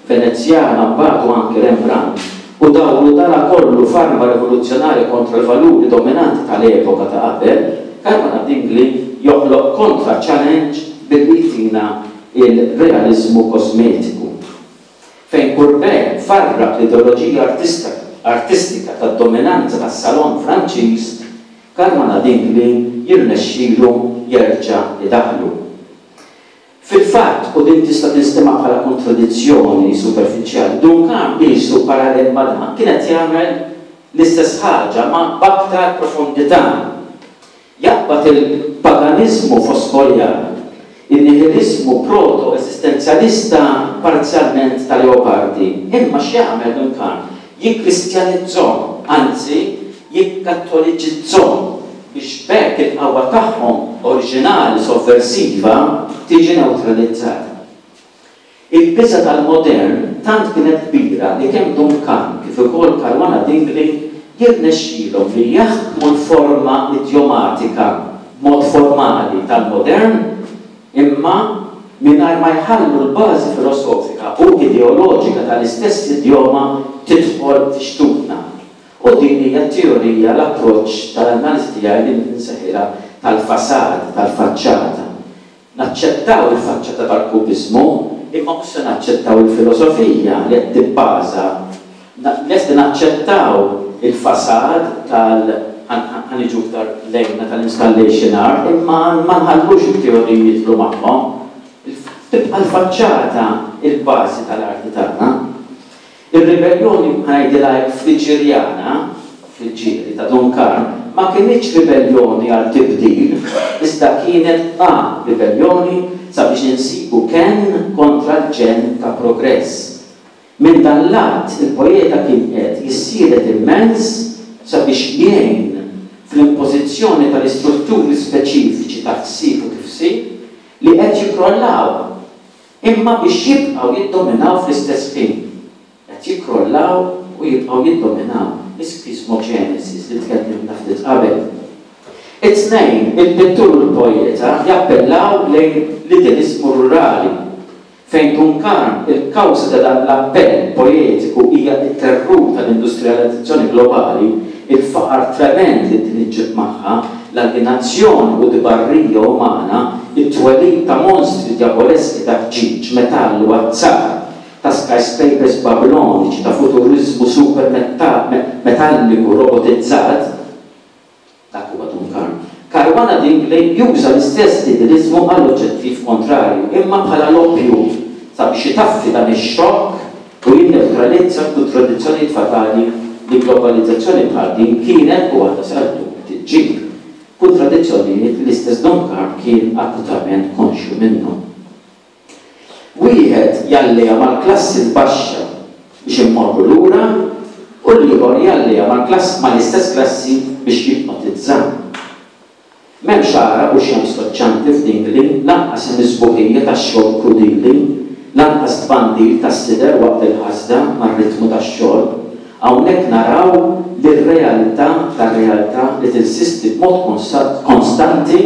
Venezjana, mbagħad u anki Rembrandt, u dawru dana kollu f'arma rivoluzzjonarja kontra l-valuri dominanti tal-epoka ta' qabel, Caruana Dingli joħloq kontra challenge billi jtina il-realizmu kosmetiku. Fejn Courbet farrak l-ideoloġija artistika tad-dominanza tas-salon Franċiż, Caruana Dingli jirnexxilu jerġa' idaħlu. Fil-fatt, u din tista' tinstema' bħala kontradizzjoni superfiċjali, Dun Karm qisu parallel ma' dan kienet jagħmel l-istess ħaġa ma' b'aktar profondità. Jaqbad il-paganiżmu foskorjan, il-nihilizmu proto-esistenzjalista parzjalment ta' Leopardi, imma x'jagħmel Dun Karm? Jikkristjanizzhom, anzi jikkattoliċizzhom biex b'hekk il-qawwa tagħhom oriġinali sovversiva tiġi neutralizzata. Il-biża' tal-modern tant kienet kbira li kemm Dun Karm kif ukoll Caruana Dingli jirnexxielhom li jaħkmu l-forma idjomatika b'mod formali tal-modern imma mingħajr ma jħallu l-bażi filosofika u ideoloġika tal-istess idjoma tidħol fi xtutna. U din hija t-teorija, l-approċċ tal-analiżi tiegħi li nsejħilha tal-fasad, tal-faċċata. Naċċettaw il-faċċata tal-kubiżmu, imma mhux se naċċettaw il-filosofija li qed tibbaża. Lesti naċċettaw il-fasad tal ħaniġu iktar lejna tal-installation art, imma ma nħallux it-teoriji jidħlu magħhom. Tibqa' l-faċċata il-bażi tal-arti tagħna. Ir-ribellioni ngħidilha hekk Friġġerjana, Friġġieri ta' Dun Karm, ma kinitx ribellioni għal tibdil, iżda kienet a ribellioni sabiex insibu kenn kontra l-ġenn ta' progress. Minn dan l-att il-poeta kien qed jissielet immens sabiex jgħin fl-impożizzjoni tal-istrutturi speċifiċi ta' ħsieb u tifsir li qed jikkrollaw, imma biex jibqgħu jiddominaw fl-istess ħin. Qed jikkrollaw u jibqgħu jiddominaw. L-ischismogenesis li tkellimna ftit qabel. It-tnejn, il-pittur u l-poeta jappellaw lejn l-idealizmu rurali, fejn Dun Karm il-kawża ta' dan l-appell poetiku hija t-terrur tal-industrializzazzjoni globali, il-faqar tremend li din iġġib magħha, l-aljenazzjoni u d-barrija umana, it-twelid ta' monstri djaboleski ta' ħġieġ, metall u azzar, ta' skyscrapers babiloniċi, ta' futuriżmu super metalliku robotizzat. Dak huwa Dun Karm. Caruana Dingli juża l-istess idealizmu għal oġġettiv kontrarju, imma bħala loppju sabiex itaffi dan ix-xokk u jinneutralizza l-kontradizzjonijiet fatali li globalizzazzjoni bħal din kienet u għadha sal-lum tiġġib. Kontradizzjonijiet li l-istess Dun Karm kien akutament konxju minnhom. Wieħed jalleja mal-klassi l-baxxa biex immorru lura u l-ieħor jalleja mal-klass mal-istess klassi biex jipnotizza. M'hemmx għaraq u xemx skoċċanti f'Dingli, lanqas hemm is-sbuħija tax-xogħol krudili, lanqas tbandil tas-sider waqt il-ħasda mar-ritmu tax-xogħol. Hawnhekk naraw lir-realtà tar-realtà li tinsisti b'mod konstanti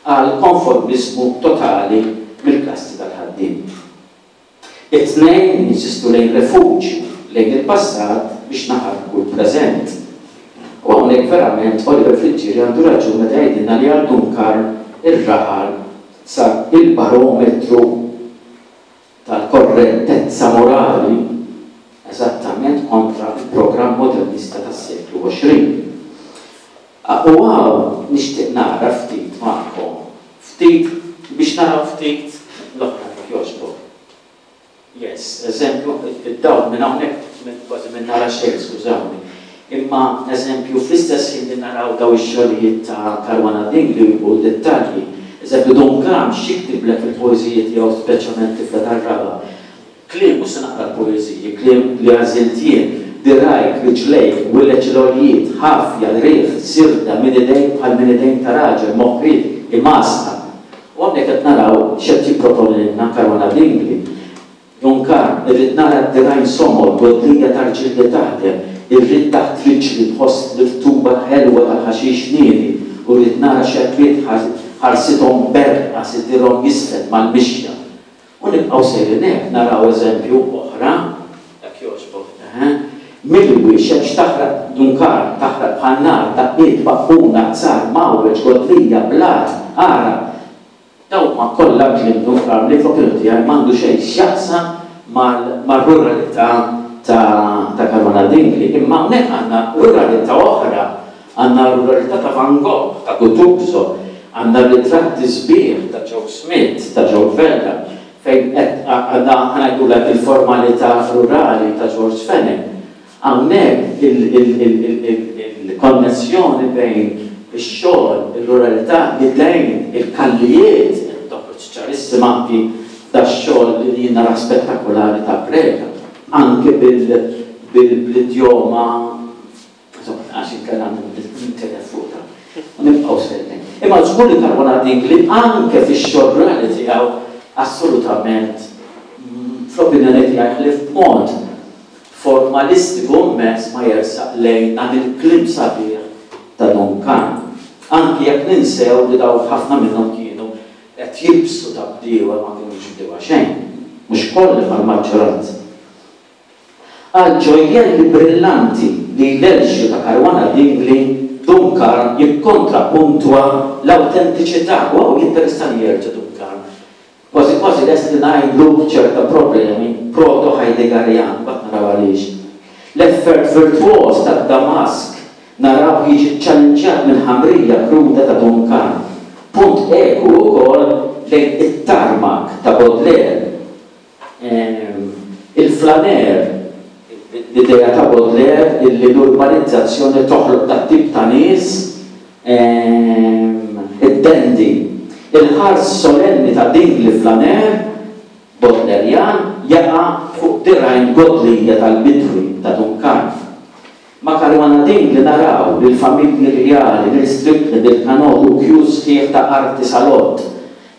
għal konformiżmu totali mill-klassi tal-ħaddiem. It-tnejn jinsistu lejn refuġju, lejn il-passat biex naħarbu l-preżent. U hawnhekk verament Oliver Friggieri għandu raġun meta jgħidilna li għal Dun Karm ir-raħal sar il-barometru tal-korrettezza morali eżattament kontra il-programm modernista tas-seklu għoxrin. U hawn nixtieq nara ftit magħkom, ftit biex naraw ftit l-oħra kif jogħġbok. Yes, eżempju, id-dawl minn hawnhekk kważi minn nara xejn, skużawni. Imma eżempju, fl-istess ħin li naraw daw ix-xogħlijiet ta' Caruana Dingli u dettalji, eżempju Dun Karm x'jiktiblek fil-poeżiji tiegħu speċjalment Tifla tar-Raba'. Kliem, mhux se naqra l-poeżiji, kliem li għażilt jien, dirajk, riġlejk, wileġ l-għoljiet, ħafja, riħ, sirda, minn idejk bħal minn idejn ta' raġel, moħriet, imasqa. U hawnhekk qed naraw x'qed jipproponi lilna Caruana Dingli. Dun Karm, irrid nara d-dirgħajn somor, godlija ta' rġiel li taħdem, irrid taħt riġli tħoss l-irtuba ħelwa tal-ħaxix niedi, u rrid nara xebbiet ħarsithom berqa sidirhom jisfed mal-mixja. U nibqgħu sejrin hekk naraw eżempju oħra, dak jogħġbok, milwi xemx taħraq Dun Karm, taħraq bħal nar, daqqiet, baqquna, azzar, mawweġ, godlija, blat, għaraq. Dawn huma kollha kliem Dun Karm li fl-opinjoni tiegħi m'għandu xejn x'jaqsam mar-ruralità ta' Caruana Dingli. Imma hawnhekk għandna ruralità oħra, għandna ruralità ta' Van Gogh, ta' Guttuso, għandna ritratti sbieħ ta' Joe Smith, ta' Joe Vella, fejn qed għandna ħanajdulek il-formalità rurali ta' George Fenech. Hawnhekk il-konnessjoni bejn ix-xogħol, ir-ruralità, l-idejn, il-kallijiet, toħroġ ċarissima anki dax-xogħol li jien nara spettakolari ta' Preka, anke bil-idjoma, għax inkella nintilef fuq ta' u nibqgħu sejrin. Imma żgur li Caruana Dingli anke fix-xogħol rurali tiegħu assolutament fl-opinjoni tiegħi ħlief b'mod formalistiku immens ma jersaq lejn dan il-kliem sabiħ ta' Dun Karm. Anki jekk ninsew li daw ħafna minnhom kienu qed jilbsu ta' bdiewa ma kinux bdiewa xejn, mhux kollha mal-maġġoranza. Għal ġojjelli brillanti li jlelxu ta' Caruana Dingli, Dun Karm jikkontrapuntwa l-awtentiċità. U hawn jinteressani jerġa' Dun Karm. Kważi kważi lest li ngħidlu ċerta problemi proto-Heideggerjan, mbagħad naraw għaliex. L-effert virtuoż tad-Damask naraw jiġi ċċallenġjat mill-ħamrija kruda ta' Dun Karm. Punt eku wkoll lejn it-tarmak ta' Baudelaire. Il-flaner, l-idea ta' Baudelaire illi l-urbanizzazzjoni toħloq dat tip ta' nies, id-dendi. Il-ħars solenni ta' Dingli flaner, Baudelairejan, jaqa' fuq dirgħajn godlija tal-bidwi ta' Dun Karm. Ma' Caruana Dingli naraw lill-familji rjali, lil Strickland, il-kanot u kju sħiħ ta' arti salott.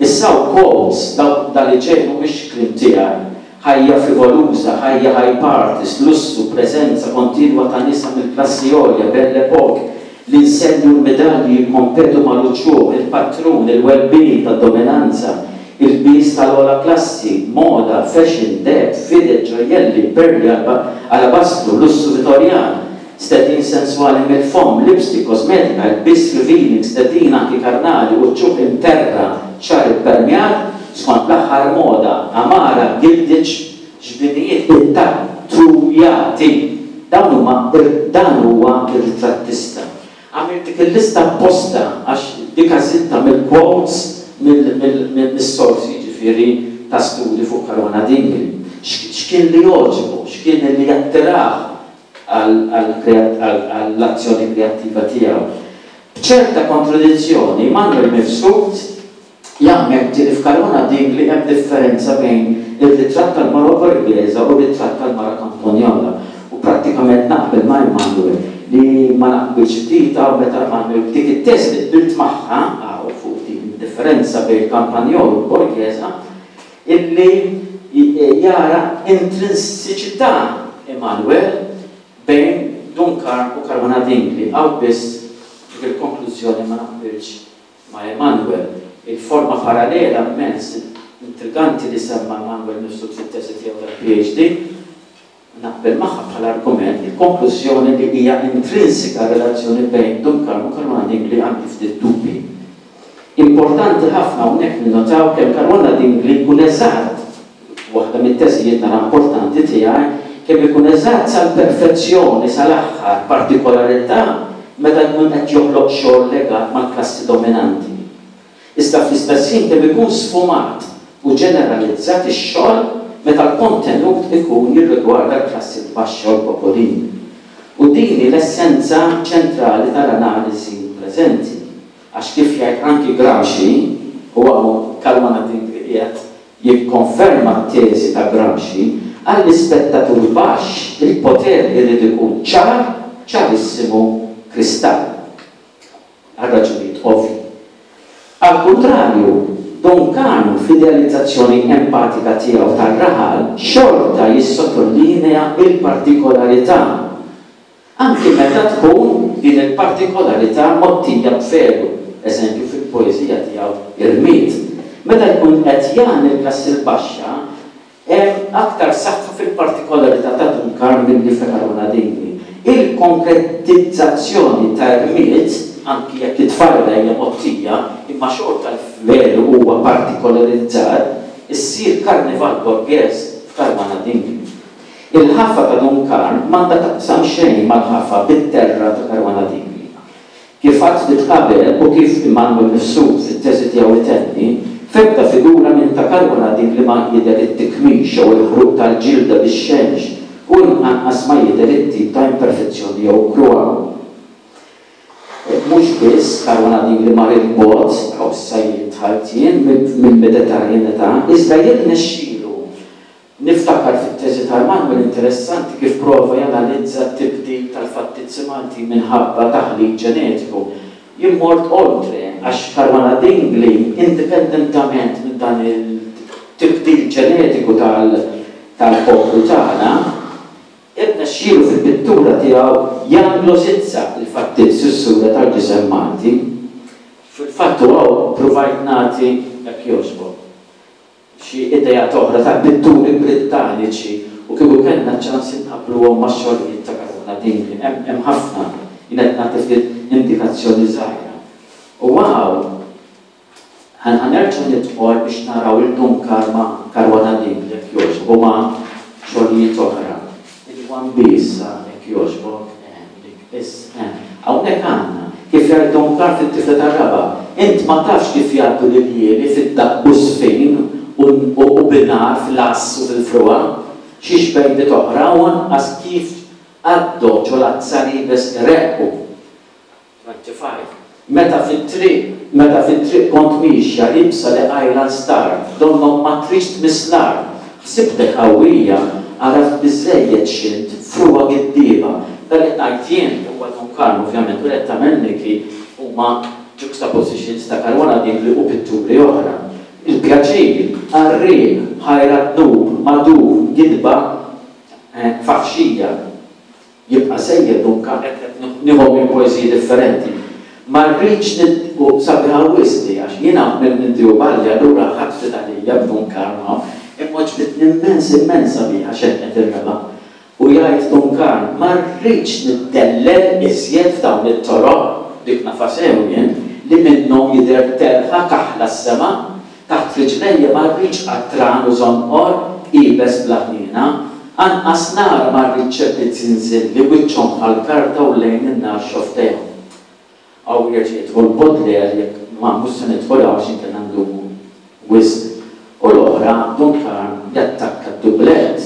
Issa quotes, daw dal-li ġej mhumiex kliem tiegħi. Ħajja frivoluża, ħajja high parties, lussu, preżenza kontinwa ta' nisa mill-klassi għolja, belle époque, l-insenji u l-medalji jikkompetu mal-uċuħ, il-patrun, il-well-being tad-dominanza, ilbies tal-ogħla klassi, moda, fashion, deheb, fided, ġojjelli, perli, alabastru, lussu Vittorjan, stedin senswali mill-fomm, lipstick, kosmetika, ilbies revealing, stedin anki karnali, uċuħ imterra, xagħar ippermjat, skont l-aħħar moda, għamara, gilded, ġbinijiet ittattujati. Dawn huma dan huwa ir-ritrattista. Għamilt dik il-lista apposta għax dik għażiltha mill-quotes mill-sorsi ġifieri ta' studi fuq Caruana Dingli. X'kien li jogħġbu, x'kien li jattirah għall-azzjoni kreattiva tiegħu. B'ċerta kontradizzjoni, Manuel Mifsud jammetti li f'Caruana Dingli hemm differenza bejn ir-ritratt tal-mara borghesa u r-ritratt tal-mara kamponjola. U prattikament naqbel ma' Emanuel li ma naqbilx ftit hawn meta Emanuel dik it-teżi li qbilt magħha hawn fuq din id-differenza bejn il-kampanjol u l-borghesa illi jara intrinsiċità Emanuel bejn Dun Karm u Caruana Dingli. Hawn biss dik il-konklużjoni ma naqbilx ma' Emanuel. Il-forma parallela immens intriganti li semma Emanuel Mifsud fit-teżi tiegħu tal-PhD naqbel magħha bħala argument il-konklużjoni li hija intrinsika relazzjoni bejn Dun Karm u Caruana Dingli għandi ftit dubbi. Importanti ħafna hawnhekk ninnotaw kemm Caruana Dingli jkun eżatt, waħda mit-teżijiet nara importanti tiegħi, kemm ikun eżatt sal-perfezzjoni, sal-aħħar partikolarità meta jkun qed joħloq xogħol legat mal-klassi dominanti. Iżda fl-istess ħin kemm ikun sfumat u ġeneralizzat ix-xogħol meta l-kontenut ikun jirrigwarda l-klassi l-baxxa u l-popolin. U din hi l-essenza ċentrali tal-analiżi preżenti. Għax kif jgħid anki Gramsci, u hawn Caruana Dingli qiegħed jikkonferma t-teżi ta' Gramsci, għall-ispettatur baxx il-poter irid ikun ċar, ċarissimu, kristall. Għal raġunijiet ovvji. Al kontrarju, Dun Karm fl-idealizzazzjoni empatika tiegħu tar-raħal xorta jissottolinea il-partikolarità. Anki meta tkun din il-partikolarità mgħottija b'velu, eżempju fil-poeżija tiegħu Irmied. Meta jkun qed jagħni l-klassi l-baxxa, hemm aktar saħħa fil-partikolarità ta' Dun Karm milli ta' Caruana Dingli. Il-konkretizzazzjoni ta' Irmied, anki jekk it-tfajla hija mgħottija, imma xorta l-velu huwa partikolarizzat, issir karnival borghese f'Caruana Dingli. Il-ħafa ta' Dun Karm m'għandha taqsam xejn mal-ħafa bit-terra ta' Caruana Dingli. Kif għadt ftit qabel u kif Immanuel Mifsud fit-teżi tiegħu itenni, f'ebda figura minn ta' Caruana Dingli ma jidher it-tikmix jew il-ħruq tal-ġilda bix-xemx u anqas ma jidher it-tip ta' imperfezzjoni jew krua. Mhux biss Caruana Dingli mar il-bogħod, hawn issa jidħalt jien mill-Mediterranità, iżda jirnexxielu. Niftakar fit-teżi ta' Emanuel interessanti kif prova janalizza t-tibdil tal-fattizzi Malti minħabba taħlit ġenetiku. Jien mort oltre għax Caruana Dingli, indipendentament minn dan il-tibdil ġenetiku tal-poplu tagħna, irnexxielu fil-pittura tiegħu janglosizza l-fattizzi s-sura tal-ġisem Malti. Fil-fatt hawn provajt nagħti jekk jogħġbok xi idea oħra ta' pitturi Brittaniċi u kieku kellna ċans inqabbluhom max-xogħlijiet ta' Caruana Dingli. Hemm ħafna, jien qed nagħti ftit indikazzjoni żgħira. U hawn ħanerġgħu nidħol biex naraw il-Dun Karm ma' Caruana Dingli jekk jogħġbok u ma' xogħlijiet oħra. Il-One Piece jekk jogħġbok, hawnhekk għandna kif jgħid Dun Karm fit-tifla tar-raba', int ma tafx kif jgħaddu l-iljieli fid-daqq u żfin u binar fl-ass u fil-frua, xi xbejbiet oħra u anqas kif għaddu ġol-azzar iebes ireqqu. twenty-five. Meta fit-triq, meta fit-triq kont miexja ibsa li qajla star, donnok ma tridx tmiss l-art, ħsibtek qawwija, għaraft biżżejjed x'int, frua giddieba. Dan li qed ngħid jien huwa Dun Karm ovvjament u li qed tagħmel Niki huma juxtapositions ta' Caruana Dingli u pitturi oħra. Il-pjaċir, għarriq, ħajra dnub, madur, gidba faħxija. Jibqa' sejjer Dun Karm, qed nieħu minn poeżiji differenti. Ma rridx u sabiħa wisq di għax jiena minn Teobaldi allura ħadd ftit għalija b'Dun Karm hawn, imma għoġbitni immens immens sabiħa xenqet ir-raba'. U jgħid Dun Karm, ma rridx niddellel iżjed f'dawn it-toroq, dik nafha sew jien, li minnhom jidher telħa kaħla s-sema, taħt riġlejja ma rridx qatran u żonqor, iebes bla ħniena, anqas nar ma rridx ċerti zinżilli wiċċhom bħal karta u lejn in-nar xoftejhom. Hawn jerġa' jidħol Baudelaire jekk ma mhux se nidħol hawn għax inkella ndumu wisq. U l-oħra Dun Karm jattakka d-dublett.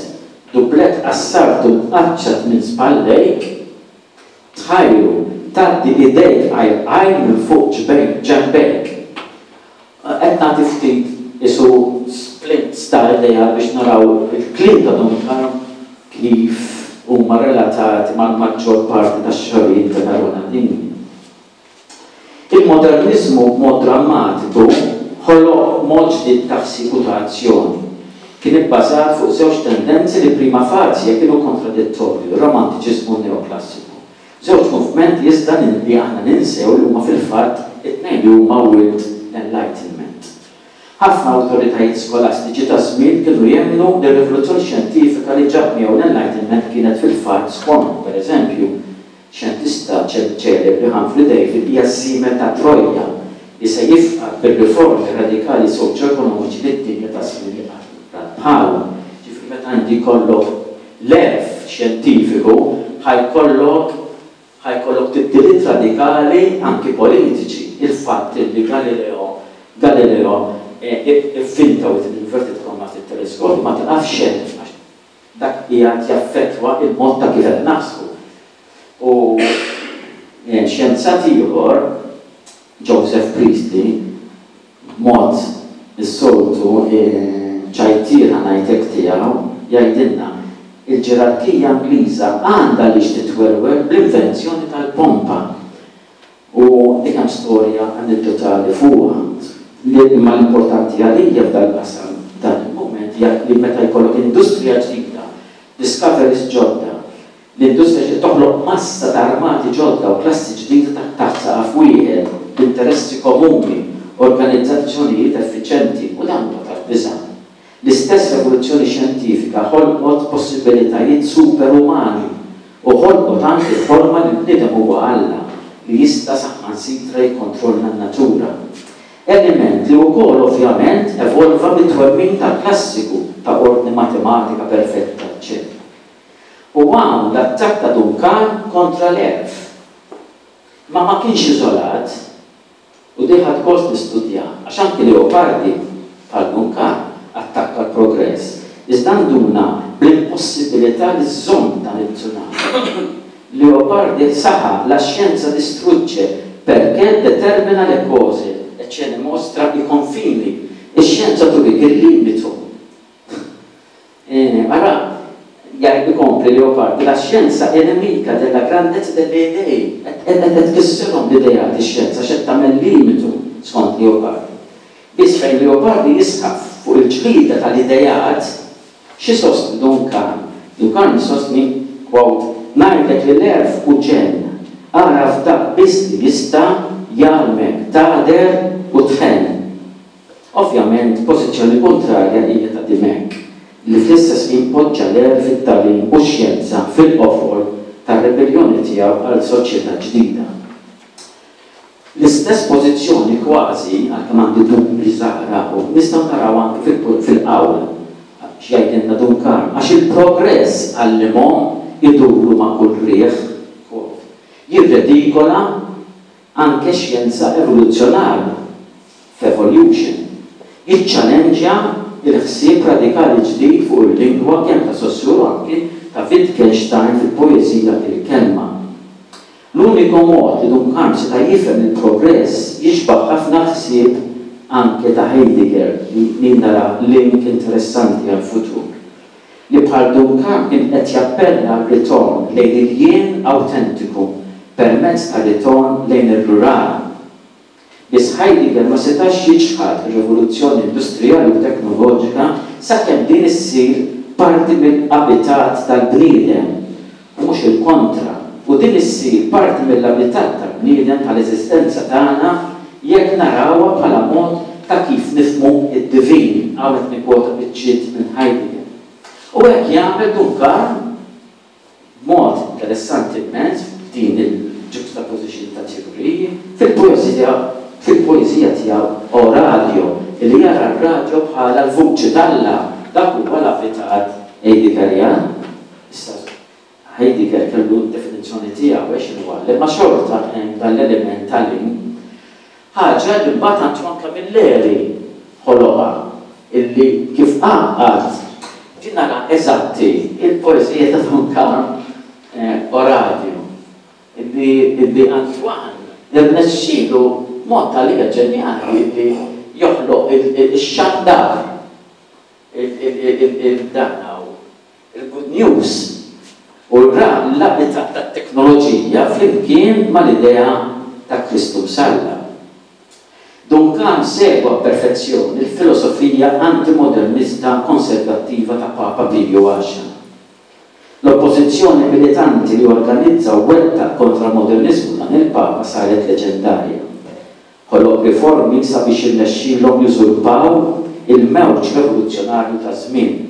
Dublett qassartu mqaċċat minn spallejk, tħajru tgħaddi idejk qajl qajl minn fuq ġbejn ġenbejk. Qed nagħti ftit isu splints ta' idea biex naraw il-kliem ta' Dun Karm kif huma relatati mal-maġġor parti tax-xogħlijiet ta' Caruana Dingli. Il-modernizmu b'mod drammatiku ħoloq mod ġdid ta' ħsieb u ta' azzjoni. Kien ibbażat fuq żewġ tendenzi li prima facie kienu kontradittorji, ir-romantiċiżmu u n-neoklassiku. Żewġ movimenti iżda li aħna ninsew li huma fil-fatt it-tnejn li huma wild l-Enlightenment. Ħafna awtoritajiet skolastiċi ta' żmien kienu jemmnu li r-rivoluzzjoni xjentifika li ġab miegħu l-Enlightenment kienet fil-fatt skont, pereżempju, xjentista ċelebri Humphry Davy hija ż-żiemel ta' Troja li se jifqad bir-riformi radikali soċjoekonomiċi li d-dinja ta' żmien li qatt rat bħalhom. Ġifieri meta inti jkollok l-għerf xjentifiku ħajkollok ħajkollok tibdiliet radikali anki politiċi. Il-fatt li Galileo Galileo ivvinta with inverted commas it-teleskop ma tiqafx hemm għax dak qiegħed jaffettwa il-mod ta' kif qed naħsbu. U xjenzat ieħor, Joseph Priestley, b'mod is-soltu ċajtier ħa ngħidlek tiegħu, jgħidilna il-ġerarkija Ingliża għandha għaliex titwerwer bl-invenzjoni tal-pompa. U dik hemm storja anedotali fuqha. Imma l-importanti għalija f'dal-qasam dan il-mument hija li meta jkollok industrija ġdida, discoveries ġodda, l-industrija ġdida toħloq massa ta' armati ġodda u klassi ġdida taħt saqaf wieħed, b'interessi komuni, organizzazzjonijiet effiċenti, u dan huwa tal-biża'. L-istess revoluzzjoni xjentifika ħolqot possibilitajiet superumani u ħolqot anki l-ħolma li l-bniedem huwa Alla li jista' saħansitra jikkontrolla n-natura. Element li wkoll ovvjament evolva mit-twemmin tal-klassiku ta' ordni matematika perfetta, eċċetera. U hawn l-attakk ta' Dun Karm kontra l-għerf. Ma ma kienx iżolat u di ħadt gost nistudja għax anki Leopardi bħal Dun Karm attakka l-progress. Iżda nduna bl-impossibilità li żżomm dan it-tsunami. Leopardi saħaq la scienza distrugge perché determina le cose e ce ne mostra i confini. Ix-xjenza turik il-limitu. Ara, jgħid ikompli Leopardi, la scienza è nemica della grandezza delle idee. Qed tkissirhom l-ideat ix-xjenza x'qed tagħmel limitu skont Leopardi. Biss fejn Leopardi jisħaq fuq il-ġlida tal-idejat, xi sostni Dun Karm? Dun Karm isostni, quote, ngħidlek li l-għerf hu ġenn, agħraf dak biss li jista' jgħallmek tagħder u tħenn. Ovvjament, pożizzjoni kontrarja hija ta' Dimech, li fl-istess ħin poġġa l-għerf, it-tagħlim u x-xjenza fil-qofol tar-ribelljoni tiegħu għal soċjetà ġdida. L-istess pożizzjoni kważi, għalkemm għandi dubji żgħar hawn, nistgħu naraw anki fil-qawl x'jgħidilna Dun Karm, għax il-progress għallimhom iduru ma' kull riħ, quote, jirredikola anke xjenza evoluzzjonarja f'Evolution, jiċċallenġja il-ħsieb radikali ġdid fuq il-lingwa kemm ta' Saussure u anki ta' Wittgenstein fil-poeżija Il-Kelma. L-uniku mod li Dun Karm seta' jifhem il-progress jixbaħ ħafna ħsieb anke ta' Heidegger li nara link interessanti għal-futur. Li bħal Dun Karm kien qed jappella għal ritorn lejn il-jien awtentiku permezz ta' ritorn lejn ir-rural. Biss Heidegger ma setax jiċħad ir-rivoluzzjoni industrijali u teknoloġika sakemm din issir parti mill-abitat tal-bniedem u mhux il-kontra. U din issir parti mill-abitat tal-bniedem, tal-eżistenza tagħna, jekk narawha bħala mod ta' kif nifhmu id-divin. Hawn qed nikkwota biċċiet minn Heidegger. U hekk jagħmel Dun Karm b'mod interessanti immens f'din il-juxtaposition ta' teoriji fil-poeżija fil-poeżija tiegħu O Radio, li jara r-radju bħala l-vuċi t'Alla. Dak huwa l-abitat Heideggerjan. Issa Heidegger kellu d-definizzjoni tiegħu għax x'inhu għal, imma xorta hemm dan l-element tal-link. Ħaġa li mbagħad Antoine Camilleri ħoloqha, illi kif għaqqad din nara eżatti il-poeżija ta' Dun Karm O Radio, illi illi Antoine irnexxielu mod tal-liga ġenjali li joħloq ix-xandar, il-dan il-good news u l-abitat tat-teknoloġija flimkien mal-idea ta' Kristu Msallab. Dun Karm segwa perfezzjoni il-filosofija antimodernista konservattiva ta' Papa Piju Għaxra. L-oppożizzjoni militanti li organizza u wettaq kontra l-modernizmu dan il-Papa saret leġendarja. Ħoloq riformi sabiex irnexxielhom jużurpaw il-mewġ rivoluzzjonarju ta' żmien.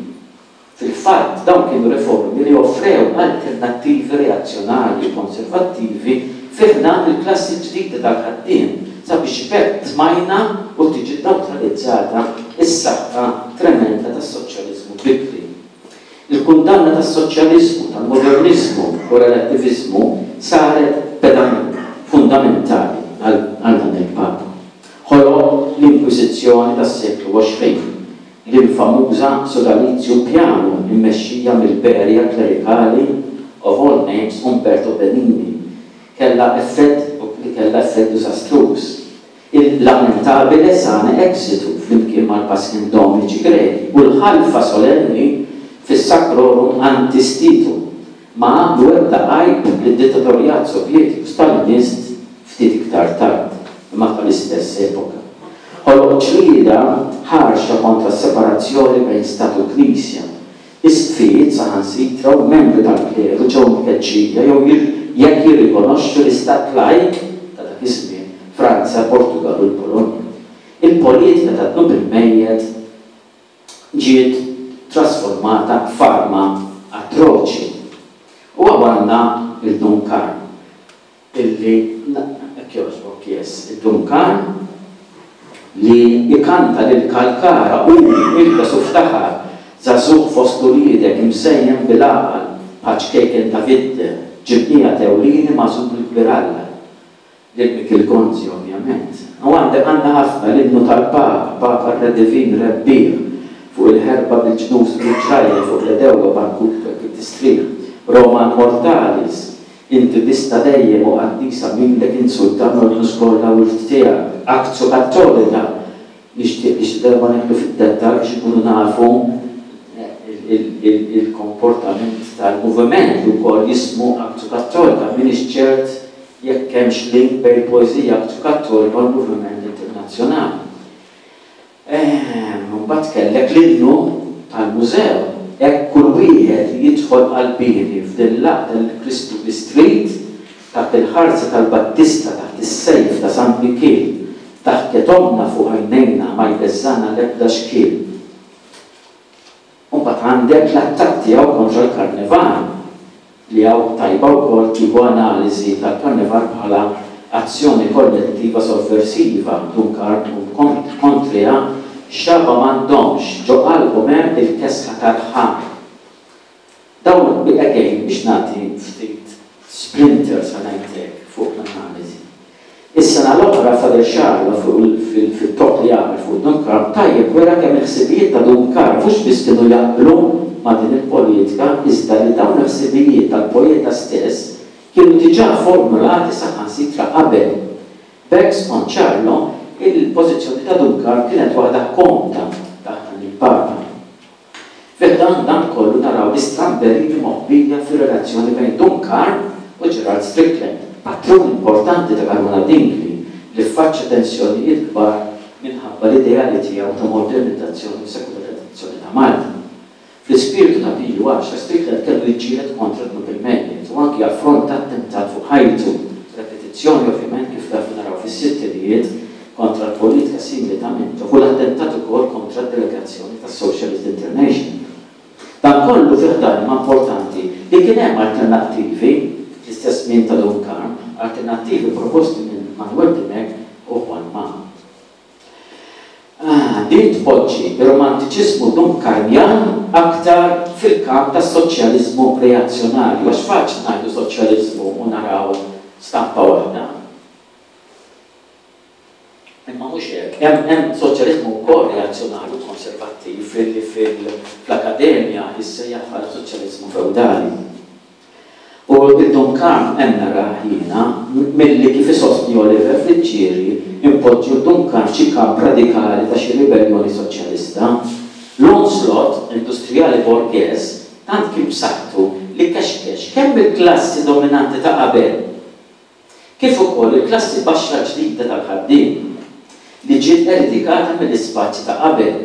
Fil-fatt, dawn kienu riformi li offrew alternattivi reazzjonarji u konservattivi fi ħdan il-klassi ġdida tal-ħaddiem sabiex b'hekk tmajna u tiġi neutralizzata s-saħħa tremenda tas-soċjaliżmu bikri. Il-kundanna tas-soċjaliżmu, tal-modernizmu u relattivizmu saret pedament fundamentali għal dan il-Papa. Ħoloq l-Inkwiżizzjoni tas-seklu għoxrin, l-infamuża Sodalizium Pianum immexxija mill-berja klerikali of all names Umberto Benigni, kellha effett li kellha effett diżastruż. Il-lamentabile sane exitu flimkien mal-Paschem Dominici Greki u l-ħalfa solenni fis-Sacrorum Antistitum ma għamlu ebda għajb lid-dittatorjat Sovjetiku Stalinist ftit iktar tard, imma tal-istess epoka. Ħoloq ġlieda ħarxa kontra s-separazzjoni bejn stat u knisja. Isqfijiet saħansitra u membri tal-kleru ġew mkeċċija jew jekk jirrikonoxxu l-istat lajk ta' dak iż-żmien, Franza, Portugal u l-Polonja. Il-politika ta' dnub il-mejjet ġiet trasformata f'arma atroċi. U għandna il-Dun Karm, illi hekk jogħġbok, yes, il-Dun Karm li ikanta lil Kalkara u ilbes u ftaħar żagħżugħ fost uliedek imżejjen bil-għaqal bħal ċkejken Davidde, ġibnija tewlini magħżul mill-kbir Alla. Lil Mikiel Gonzi, ovvjament. U għandek għandna ħafna l-innu tal-Papa, Papa Re Divin Rebbieħ, fuq il-ħerba bil-ġnus bil-ġrajja, fuq l-edewwa barkut tistrieħ, Roma Immortalis, inti bista dejjem u qaddisa minnek insultan u l-ġnus kollha wirt tiegħek, Actio Cattolica, nixtieq li xi darba neħlu fid-dettall biex ikunu nafu il-komportament tal-moviment li wkoll jismu Actio Cattolica. M'iniex ċert jekk hemmx link bejn il-poeżija Actio Cattolica u l-moviment internazzjonali. Mbagħad kellek l-innu tal-mużew, hekk kull wieħed li jidħol qalbieni f'din l-għaqda li Kristu bistrit taħt il-ħarsa tal-Battista, taħt is-sejf ta' San Mikiel, taħt ketomna fuq għajnejna ma jbeżżana l-ebda xkiel. Mbagħad għandek l-attakk tiegħu kontra l-Karnival, li hawn tajba wkoll tieħu analiżi tal-Karnival bħala azzjoni kollettiva sovversiva, Dun Karm kontrija xaba m'għandhomx ġo qalbhom hemm il-kesħa tal-ħam. Dawn again biex nagħti ftit splinters ngħidlek fuq l-analiżi. Is-sena l-oħra Father Charlo fit-talk li għamel fuq Dun Karm tajjeb wera kemm il-ħsibijiet ta' Dun Karm mhux biss kienu jaqblu ma' din il-politika, iżda li dawn il-ħsibijiet tal-poeta stess kienu diġà formulati saħansitra qabel. B'hekk skont Charlo, il-pożizzjoni ta' Dun Karm kienet waħda komda taħt dan il-Papa. Fi ħdan dan kollu naraw l-istramberiji moħbija fir-relazzjoni bejn Dun Karm u Gerald Strickland, patrun importanti ta' Karmona Dingli li ffaċċa tensjonijiet kbar minħabba l-ideali tiegħu ta' modernizzazzjoni u sekolarizzazzjoni ta' Malta. Fl-ispirtu ta' Piju Għaxra, Strickland kellu jiġġieled kontra dnub il-mejjet u anki affronta attentat fuq ħajtu, repetizzjoni ovvjament kif tafu naraw fis-sittinijiet kontra l-politika simili ta' Mintoff u l-attentat ukoll kontra d-delegazzjoni tas-Socialist International. Dan kollu fi ħdan imma importanti li kien hemm alternattivi fl-istess żmien ta' Dun Karm, alternattivi proposti minn Manuel Dimech u Juan Mamo. Ah, din tpoġġi ir-romantiċiżmu Dun Karmjan aktar fil-kamp tas-soċjaliżmu reazzjonarju, għax faċli ngħidu soċjaliżmu u naraw stampa waħda. Imma mhux hekk, hemm hemm soċjaliżmu wkoll reazzjonarju konservattiv fil- fil-akkademja jissejjaħ bħala soċjaliżmu feudali. U id-Dun Karm hemm narah jiena milli kif isostni Oliver Friggieri impoġġu d-Dun Karm f'xi kamp radikali ta' xi ribellioni soċjalista. L-onslaught industrijali borgheż tant kien b'saħħtu li kexkex kemm il-klassi dominanti ta' qabel kif ukoll il-klassi baxxa ġdida tal-ħaddiem li ġiet eredikata mill-ispazji ta' qabel.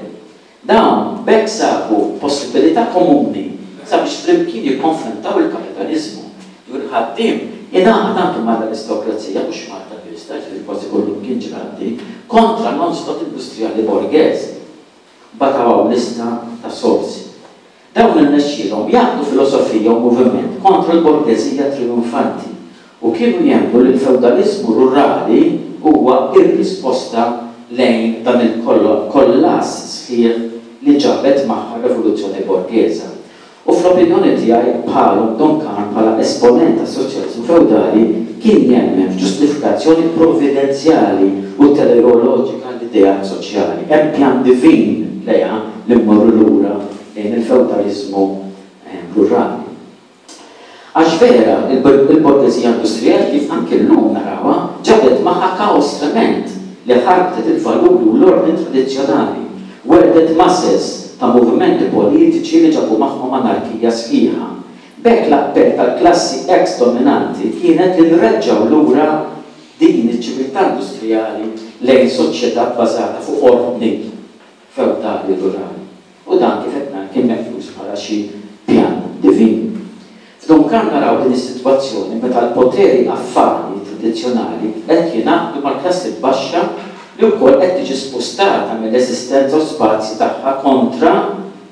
Dawn b'hekk sabu possibilità komuni sabiex flimkien jikkonfrontaw il-kapitaliżmu. Jew il-ħaddiem ingħaqad anke mal-aristokrazija, mhux Malta biss, ġifieri kważi kollu kien ġradi, kontra l-onslaught industrijali borgheż. Bataw lista ta' sorsi. Dawn irnexxielhom jgħaqqdu filosofija u moviment kontra l-borgeżija trionfanti u kienu jemmnu li l-feudaliżmu rurali huwa ir-risposta lejn dan il-kollass sħiħ li ġabet magħha r-rivoluzzjoni borghesa. U fl-opinjoni tiegħi bħalhom Dun Karm bħala esponent tas-soċjaliżmu feudali kien jemmen f'ġustifikazzjoni provvidenzjali u teleoloġika l-ideat soċjali. Hemm pjan divin lejha li mmorru lura lejn il-feudaliżmu rurali. Għax vera, il-borgeżija industrijali kif anke llum narawha ġabet magħha kaos trement li ħarbtet il-valuri u l-ordni tradizzjonali, welldet masses ta' movimenti politiċi li ġabu magħhom anarkija sħiħa. B'hekk l-appell tal-klassi ex dominanti kienet li nreġġgħu lura din iċ-ċiviltà industrijali lejn soċjetà bbażata fuq ordni feudali rurali. U dan kif qed ngħid kien meqjus bħala xi pjan divin. F'Dun Karm naraw din is-sitwazzjoni meta l-poteri affari tradizzjonali qed jingħaqdu mal-klassi baxxa li wkoll qed tiġi spostata mill-eżistenza u spazji tagħha kontra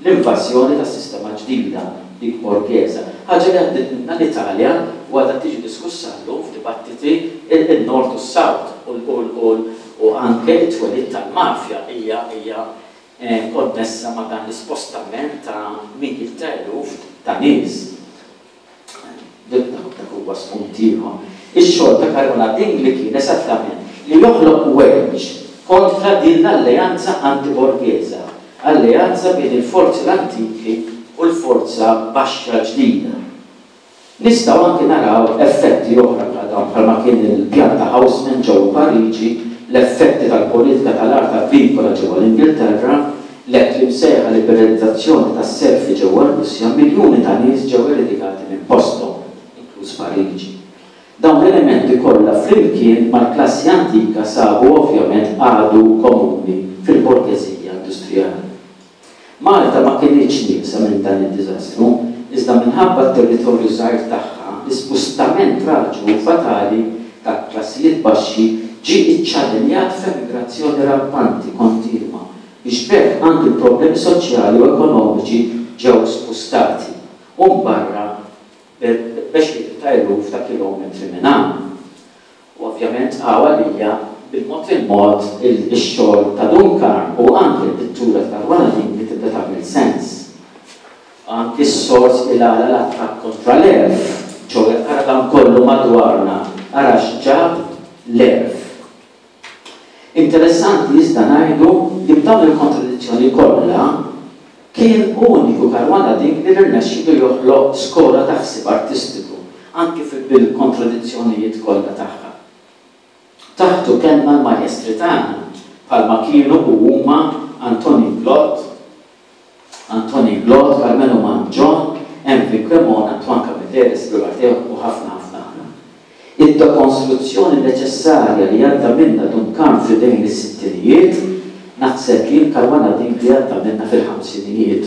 l-invażjoni tas-sistema ġdida dik borghesa. Ħaġa li għaddiet minnha l-Italja u għadha tiġi diskussa llum f'dibattiti il-Nord u s-South u anke t-twelid tal-mafja hija hija konnessa ma' dan l-ispostament ta' mijiet ta' eluf ta' nies. Dak huwa spunt ieħor. Ix-xogħol ta' Caruana Dingli kien esattament li joħloq wedge kontra din l-alleanza antiborghesa, alleanza bejn il-forzi l-antiki u l-forza baxxa ġdida. Nistgħu anke naraw effetti oħra bħal dawn bħalma kien il-pjan ta' Haussmann ġewwa Pariġi, l-effetti tal-politika tal-art agrikola ġewwa l-Ingilterra, l-hekk li msejħa liberalizzazzjoni tas-serfi ġewwa r-Russja, miljuni ta' nies ġew eredikati minn posthom, inkluż Pariġi. Dawn l-elementi kollha flimkien mal-klassi antika sabu ovvjament għadu komuni fil-borgeżija industrijali. Malta ma kinitx nieqsa minn dan id-diżastru, iżda minħabba t-territorju żgħir tagħha, l-ispustament traġiku u fatali ta' klassijiet baxxi ġie iċċallenjat f'emigrazzjoni rampanti kontinwa biex b'hekk anki l-problemi soċjali u ekonomiċi ġew spostati u mbarra b'għexieren ta' eluf ta' kilometri minn hawn. U ovvjament hawn għalija bil-mod il-mod ix-xogħol ta' Dun Karm u anke l-pittura ta' Caruana Dingli tibda tagħmel sens. Anki s-sors il-għala l-attakk kontra l-għerf, ċoħe ara dan kollu madwarna, ara x'ġab l-għerf. Interessanti iżda ngħidu li b'dawn il-kontradizzjoni kollha kien uniku Caruana Dingli li rnexxielu joħloq skola ta' ħsieb artistiku, anki bil-kontradizzjonijiet kollha tagħha. Taħtu kellna l-majestri tagħna, bħalma kienu u huma Antonin Glott, Antonin Glott, Karmenu Mangion, Emvin Cremona, Antoine Camilleri, Silvio Matteo u ħafna ħafna oħra. Id-dekonstruzzjoni neċessarja li għadda minna Dun Karm f'idejn is-sittinijiet Naħseb jien Caruana Dingli għadda minna fil-ħamsinijiet.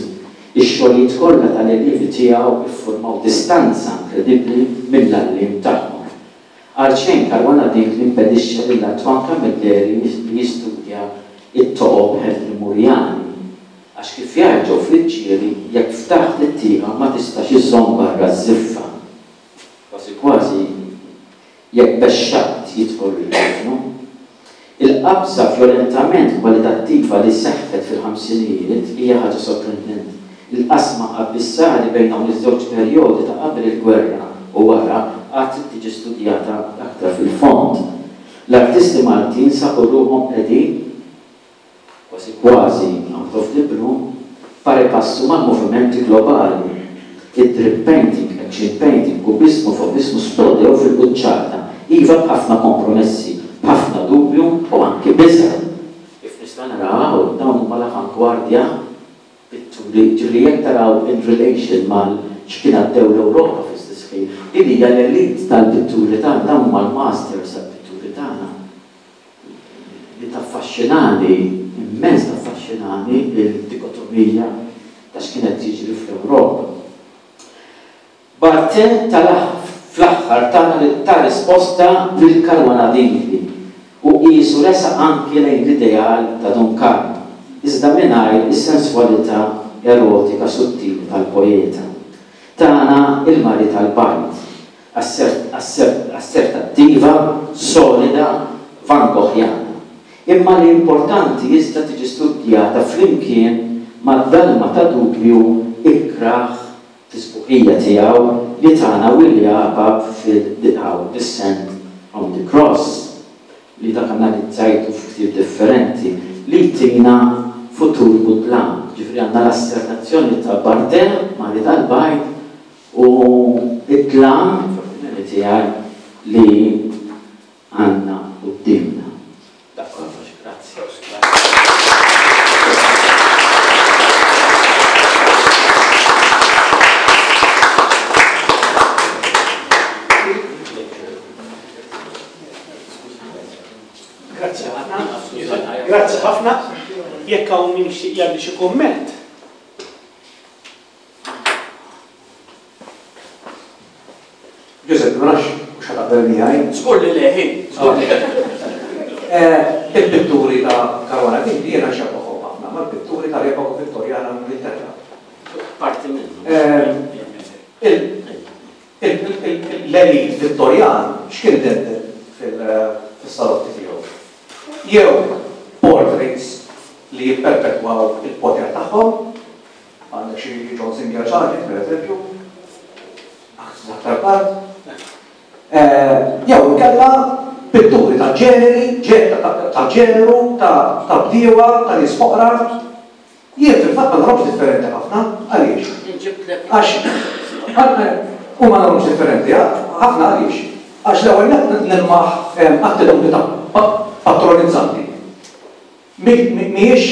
Ix-xogħlijiet kollha tal-allievi tiegħu iffurmaw distanza inkredibbli mill-għalliem tagħhom. Għalxejn Caruana Dingli impedixxa lil Antoine Camilleri li jistudja it-toqob Henry Murjani. Għax kif jgħid Friggieri, jekk ftaħt it-tieqa ma tistax iżżomm barra ż-żiffa. Kważi kważi jekk bexxaqt jidħol il-ġifnu. Il-qabża vjolentament kwalitattiva li seħħet fil-ħamsinijiet hija ħaġa sorprendenti. Il-qasma abissali bejn dawn iż-żewġ perjodi ta' qabel il-gwerra u wara għad trid tiġi studjata aktar fil-fond. L-artisti Maltin sabu ruħhom qegħdin kważi kważi out of the blue pari passu mal-movimenti globali. Id-drip painting, action painting, kubismu, fobismu splodew fil-quċċata, iva b'ħafna kompromessi, b'ħafna dubju u anki biża'. Kif nista' naraw, dawn huma l-avangwardja pitturi, ġifieri jekk taraw in relation mal x'kien għaddew l-Ewropa fl-istess ħin, din hija l-elit tal-pitturi tagħna, dawn huma l-masters tal-pitturi tagħna. Li taffaxxinani, immens taffaxxinani il-dikotomija ta' x'kienet jiġri fl-Ewropa. Barthes fl-aħħar ta' risposta lil Caruana Dingli u qisu resaq anki lejn l-ideal ta' Dun Karm, iżda mingħajr is-senswalità erotika sottili tal-poeta. Tana il-mari tal-bajt, assertattiva, solida, Van Goghjana. Imma li importanti iżda tiġi studjata flimkien mad-dalma ta' dubju ikraħ tisbuħija tiegħu li tana Willi Apap fil-Descent from the Cross, li dak analizzajtu f'ktieb differenti, li tina futur mudlam. Ġifieri għandna l-assertazzjoni ta' Barthes, Mari tal-Bajd, u id-dlam, fl-opinjoni tiegħi, li għandna quddiemna. Dak kollox, grazzi. Grazzi ħafna. Grazzi ħafna. Jekk hawn min jixtieq jagħmel xi kumment. Giuseppe, ma nafx mhux ħataqbel miegħi. Żgur li le, ħin, żgur li le. Il-pitturi ta' Caruana Dingli jiena nxebbaħhom ħafna mal-pitturi tal-epoka Vittorjana l-Ingilterra. Parti minnu. L-elit Vittorjan x'kien idendel fis-salotti tiegħu? Jew portraits li jipperpetwaw il-poter tagħhom, għandek xi John Singer Sargent, per eżempju, aktar tard. Jew inkella pitturi ta' ġeneri, ta' ġeneru, ta' bdiewa, ta' nies foqra. Jien fil-fatt ma narahomx differenti ħafna, għaliex? Għax u ma narahomx differenti ħafna għaliex? Għax l-ewwel nett nilmaħ attitudni ta' patronizzanti. Mhijiex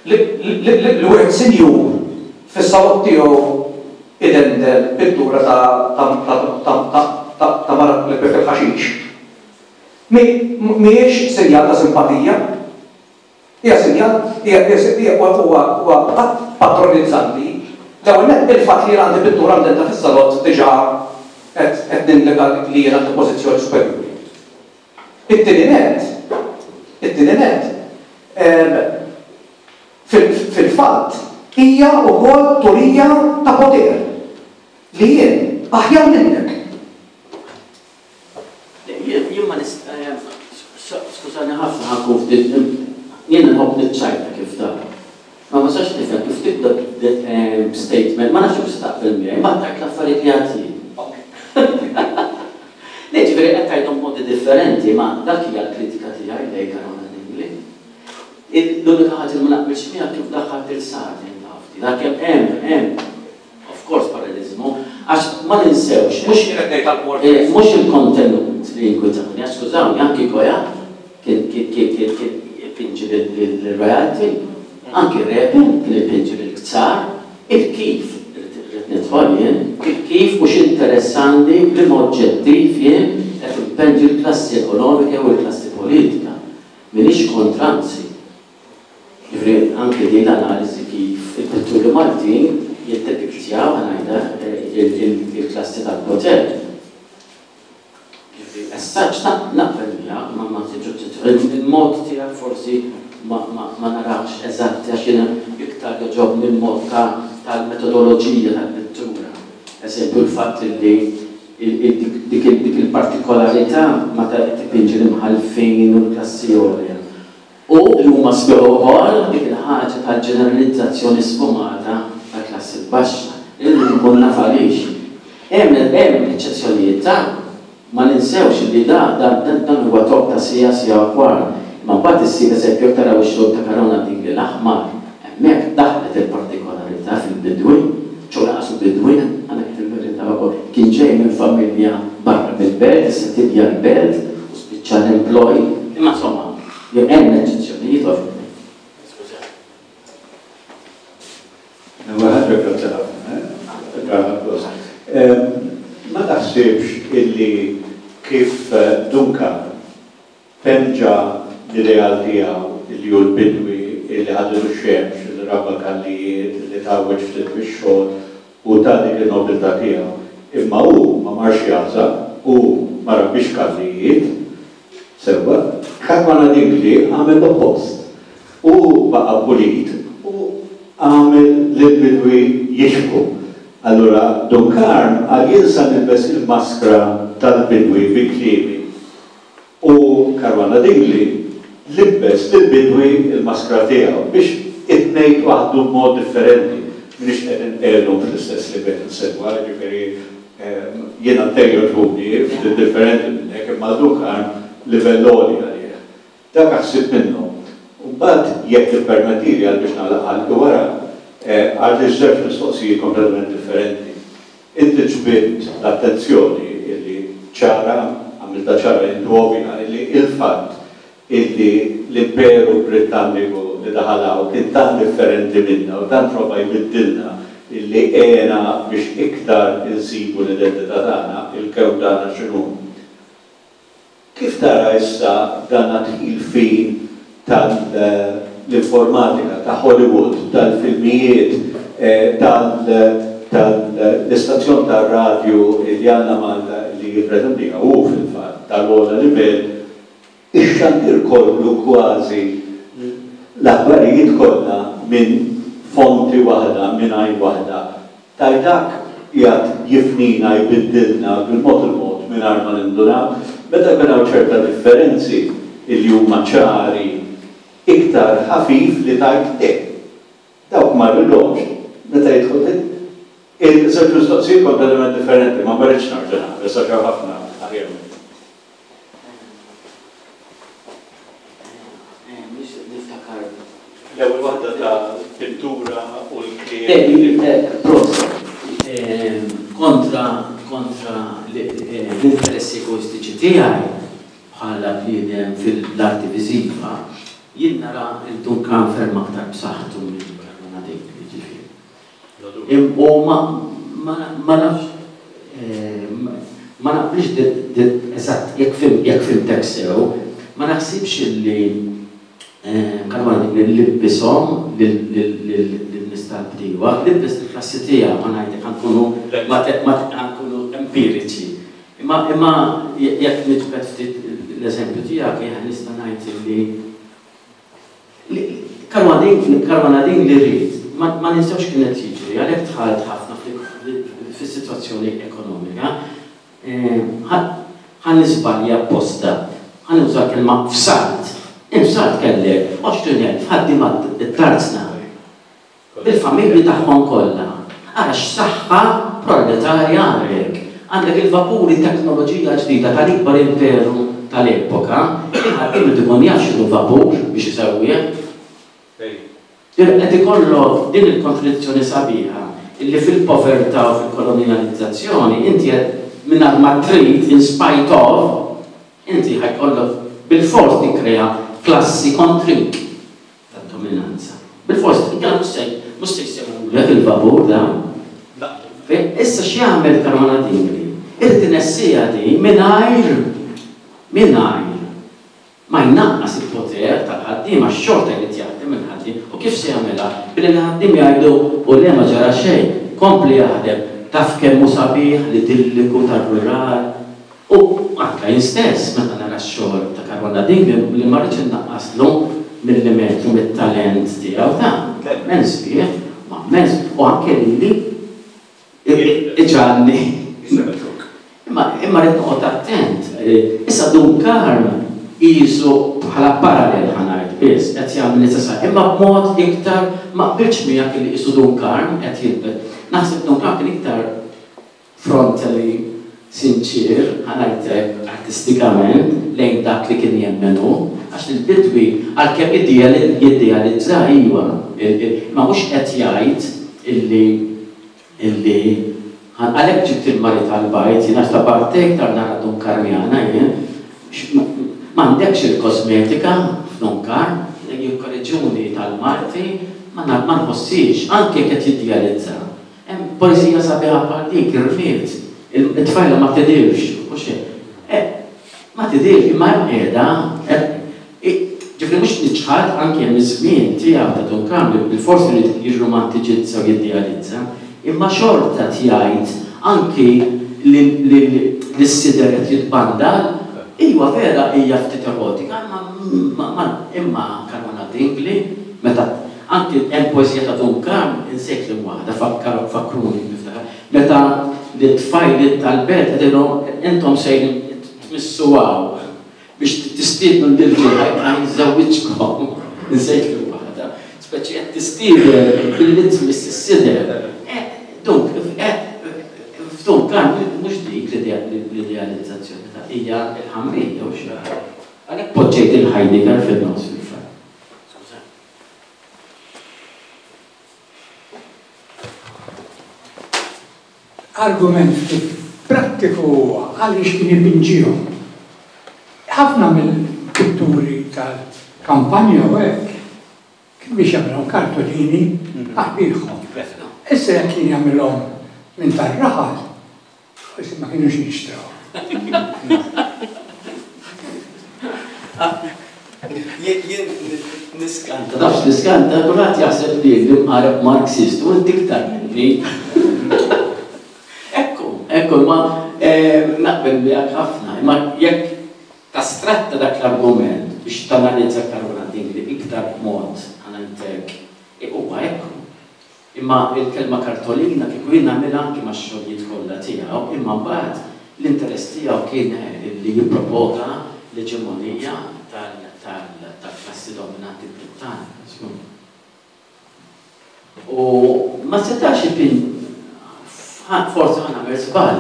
li wieħed sinjur fis-salott tiegħu idendel pittura ta' mara li tbigħ il-ħaxix. Mhijiex sinjal ta' simpatija, hija sinjal huwa patronizzanti. L-ewwel nett il-fatt li jien għandi pittura mdendla fis-salott diġà qed nindika li jien għandi pożizzjoni superjuri. It-tieni nett, it-tieni nett, fil-fatt hija wkoll turija ta' poter li jien aħjar minnek. Jien ma nista', skużani ħafna ħankun ftit, jien nħobb niċċajta kif tara. Ma ma sax nifhem kif tibda statement, ma nafx kif taqbel miegħi, ma tgħid l-affarijiet li għad jien. Le, ġifieri qed tgħidhom modi differenti, ma dak hija l-kritika tiegħi lejn Caruana Dingli. L-unika ħaġa li ma naqbilx miegħek kif daħħalt il-Sargent tafti. Dak hemm hemm hemm of course paralleliżmu, għax ma ninsewx, mhux mhux il-kontenut li jinkwitani, għax skużawni, anki Goya kien kien kien kien kien ipinġi lill-royalty, anki Repin kien ipinġi lill-ktsar, il-kif rrid nidħol jien, il-kif mhux interessanti li ma oġġettiv jien qed impenġi l-klassi ekonomika u l-klassi politika. M'iniex kontra, anzi. Ġifieri anke din l-analiżi kif il-pitturi Maltin jiddepiktjaw ngħidha il-klassi tal-poter. Ġifieri as such naqbel miegħek ma ma il-mod tiegħek forsi ma narax eżatt għax jiena iktar jogħġobni l-mod tal-metodoloġija tal-pittura. Eżempju l-fatt li dik il-partikolarità meta tipinġi l-imħallfin u l-klassi għolja. U li huma sbieħ ukoll dik il-ħaġa tal-ġeneralizzazzjoni sfumata tal-klassi baxxa. Irrid nkun naf għaliex. Hemm hemm eċċezzjonijiet ta' ma ninsewx li da dan huwa top ta' sija sija u kwart. Imma mbagħad issir eżempju jekk taraw ix-xogħol ta' Caruana Dingli l-aħmar, hemmhekk daħlet il-partikolarità fil-bidwi, ċo laqas bidwi, għandek fil-verità wkoll kien ġej minn familja barra mill-belt, issa tibja l-belt u spiċċa l-employ. Imma insomma, hemm eċċezzjonijiet ovvjament. Skuża. L-ewwel ħaġa grazzi ħafna, eh? Ma taħsibx illi kif Duncan penġa l-ideal tiegħu illi hu l-bidwi illi ħadilu x-xemx, illi rabba kallijiet, illi tgħawweġ ftit bix-xogħol u ta' dik in-nobiltà tiegħu. Imma hu ma marx jagħżaq, hu ma rabbix kallijiet, sewwa, Caruana Dingli għamel l-oppost. Hu baqa' pulit u għamel lill-bidwi jixbhu. Allura Dun Karm qal jien sa nilbes il-maskra tal-bidwi bi kliemi. U Caruana Dingli libbes lill-bidwi il-maskra tiegħu biex it-tnejn waħdu b'mod differenti. M'iniex qed inqiegħdhom fl-istess livell sewwa, ġifieri jiena t-tnejn jogħġbuni ftit differenti minnek, imma Dun Karm livell għoli għalih. Dak ħsieb minnu. U mbagħad jekk tippermettili għal biex nagħlaq ħalqi wara, għal żewġ mistoqsijiet kompletament differenti. Inti ġbidt l-attenzjoni illi ċara, għamilta ċara intu ovvja, illi il-fatt illi l-Imperu Britanniku li daħalaw kien tant differenti minna u tant prova jbiddilna illi għena biex iktar insibu l-identità tagħna, il-kew tagħna x'inhu. Kif tara issa dan dħul fin tal-informatika, ta' Hollywood, tal-filmijiet, tal-istazzjon tar-radju li għandna Malta li jippretendiha hu fil-fatt tal-ogħla livell, ix-xandir kollu kważi l-aħbarijiet kollha minn fonti waħda, minn għajn waħda. Taj dak qiegħed jifnina, jbiddilna bil-mod il-mod mingħajr ma nindunaw, meta jkun hawn ċerta differenzi illi huma ċari iktar ħafif li tajt le. Dawk ma rridhomx, meta jidħol il-żewġ mistoqsijiet kompletament differenti, ma rridx narġa' naqbel, sa xew ħafna aħjar minni. Niftakar. L-ewwel waħda ta' pittura u l-kliem. Proset. Kontra kontra l-interessi egoistiċi tiegħi bħala bniedem fil-arti viżiva, jien nara il-Dun Karm ferm aktar b'saħħtu minn Caruana Dingli, ġifieri. U ma nafx, ma naqblix eżatt jekk fhimtek sew, ma naħsibx illi Caruana Dingli libbishom lin-nies tal-bdiewa, libbes il-klassi tiegħu, ma ngħidlek ħa nkunu ħa nkunu empiriċi. Imma imma jekk niġbed ftit l-eżempju tiegħek, nista' ngħid illi Caruana Dingli rrid, ma ninsewx kienet jiġri, għalhekk dħalt ħafna fis-sitwazzjoni ekonomika. Ħa niżbalja apposta, ħa nuża kelma f'salt. Infsalt kellek għoxrin elf ħaddiema t-tarzna bil-familji tagħhom kollha. Ara x'saħħa proletarja għandek. Għandek il-vapuri teknoloġija ġdida tal-ikbar imperu tal-epoka, il-ħaddiem irid ikun jaf x'inhu vapur biex isewwih. Qed ikollok din il-kontradizzjoni sabiħa illi fil-povertà u fil-kolonializzazzjoni inti qed mingħajr ma trid in spite of inti ħajkollok bil-fors tikkrea klassi kontrik tad-dominanza. Bil-fors, inkella mhux se mhux se jsewwulek il-vapur dan. Issa x'jagħmel Caruana Dingli? Irid inessija di mingħajr mingħajr ma jnaqqas il-poter tal-ħaddiema, xorta jrid jaħdem il-ħaddiem U kif se jagħmilha? Billi l-ħaddiem jgħidu u le ma ġara xejn, kompli jaħdem, taf kemm hu sabiħ l-idilliku tar-rural. U anke jien stess meta nara x-xogħol ta' Caruana Dingli li ma rridx innaqqaslu millimetru mit-talent tiegħu ta' immens fih, ma immens, u anke lili iġagħalni. Imma imma rrid noqgħod attent. Issa Dun Karm qisu bħala parallel ħa ngħid biss qed jagħmel l-istess imma b'mod iktar ma qbiltx miegħek li qisu Dun Karm qed jilbet. Naħseb Dun Karm kien iktar frontally sinċir, ħa ngħidlek artistikament, lejn dak li kien jemmen hu, għax il-bidwi għalkemm jiddealizza iwa, ma mhux qed jgħid illi illi għalhekk ġibt il-mari tal-bajt, jien għax ta' parte iktar nara Dun Karmjana jien, m'għandekx il-kosmetika f'Dun Karm, jikkorreġuni tal-Malti, ma nħossix, anke qed jiddealizza. Hemm poeżija sabiħa bħal dik, irmiet, it-tfajla ma tidirx, u xejn. Ma tidirx, imma hemm qiegħda, ġifieri mhux niċħad anke hemm iż-żmien tiegħu ta' Dun Karm li bilfors irid jirromantiġizza u jiddealizza, imma xorta tgħid anki li l-sider qed jitbandal, iwa vera hija ftit erotika, imma imma Caruana Dingli, meta anki hemm poeżija ta' Dun Karm insejt li waħda fakkruni niftakar, meta l-tfajliet tal-belt qegħdilhom intom sejrin tmissu hawn biex tistiednu l-irġiel ħa jiżżewwiġkom, insejt li waħda, speċi qed tistieden billi tmiss is-sider. Dunk, f'Dun Karm mhux dik l-idealizzazzjoni ta' hija l-ħamrija u xi. Għalhekk poġġejt il-Heidegger fin-nofs fil-fatt. Argument ftit prattiku huwa għaliex kien ipinġihom. Ħafna mill-pitturi tal-kampanja u hekk kien biex jagħmilhom kartolini għal-bieħhom. Issa jekk kien jagħmilhom minn tar-raħal, forsi ma kienux jinxtraw. Jien niskanta, nafx niskanta, kulħadd jaħseb li l-imqareb Marxist u inti iktar minni. Ekku, ekku, ma naqbel miegħek ħafna, imma jekk tastratta dak l-argument biex tanalizza Caruana Dingli iktar b'mod ħanajtek, huwa ekku. Imma il-kelma kartolina kieku jien nagħmilha anki max-xogħlijiet kollha tiegħu, imma mbagħad l-interess tiegħu kien li jipprovoka l-eġemonija tal-klassi dominanti Brittanika. U ma setax ipin, forsi ħa nagħmel żball,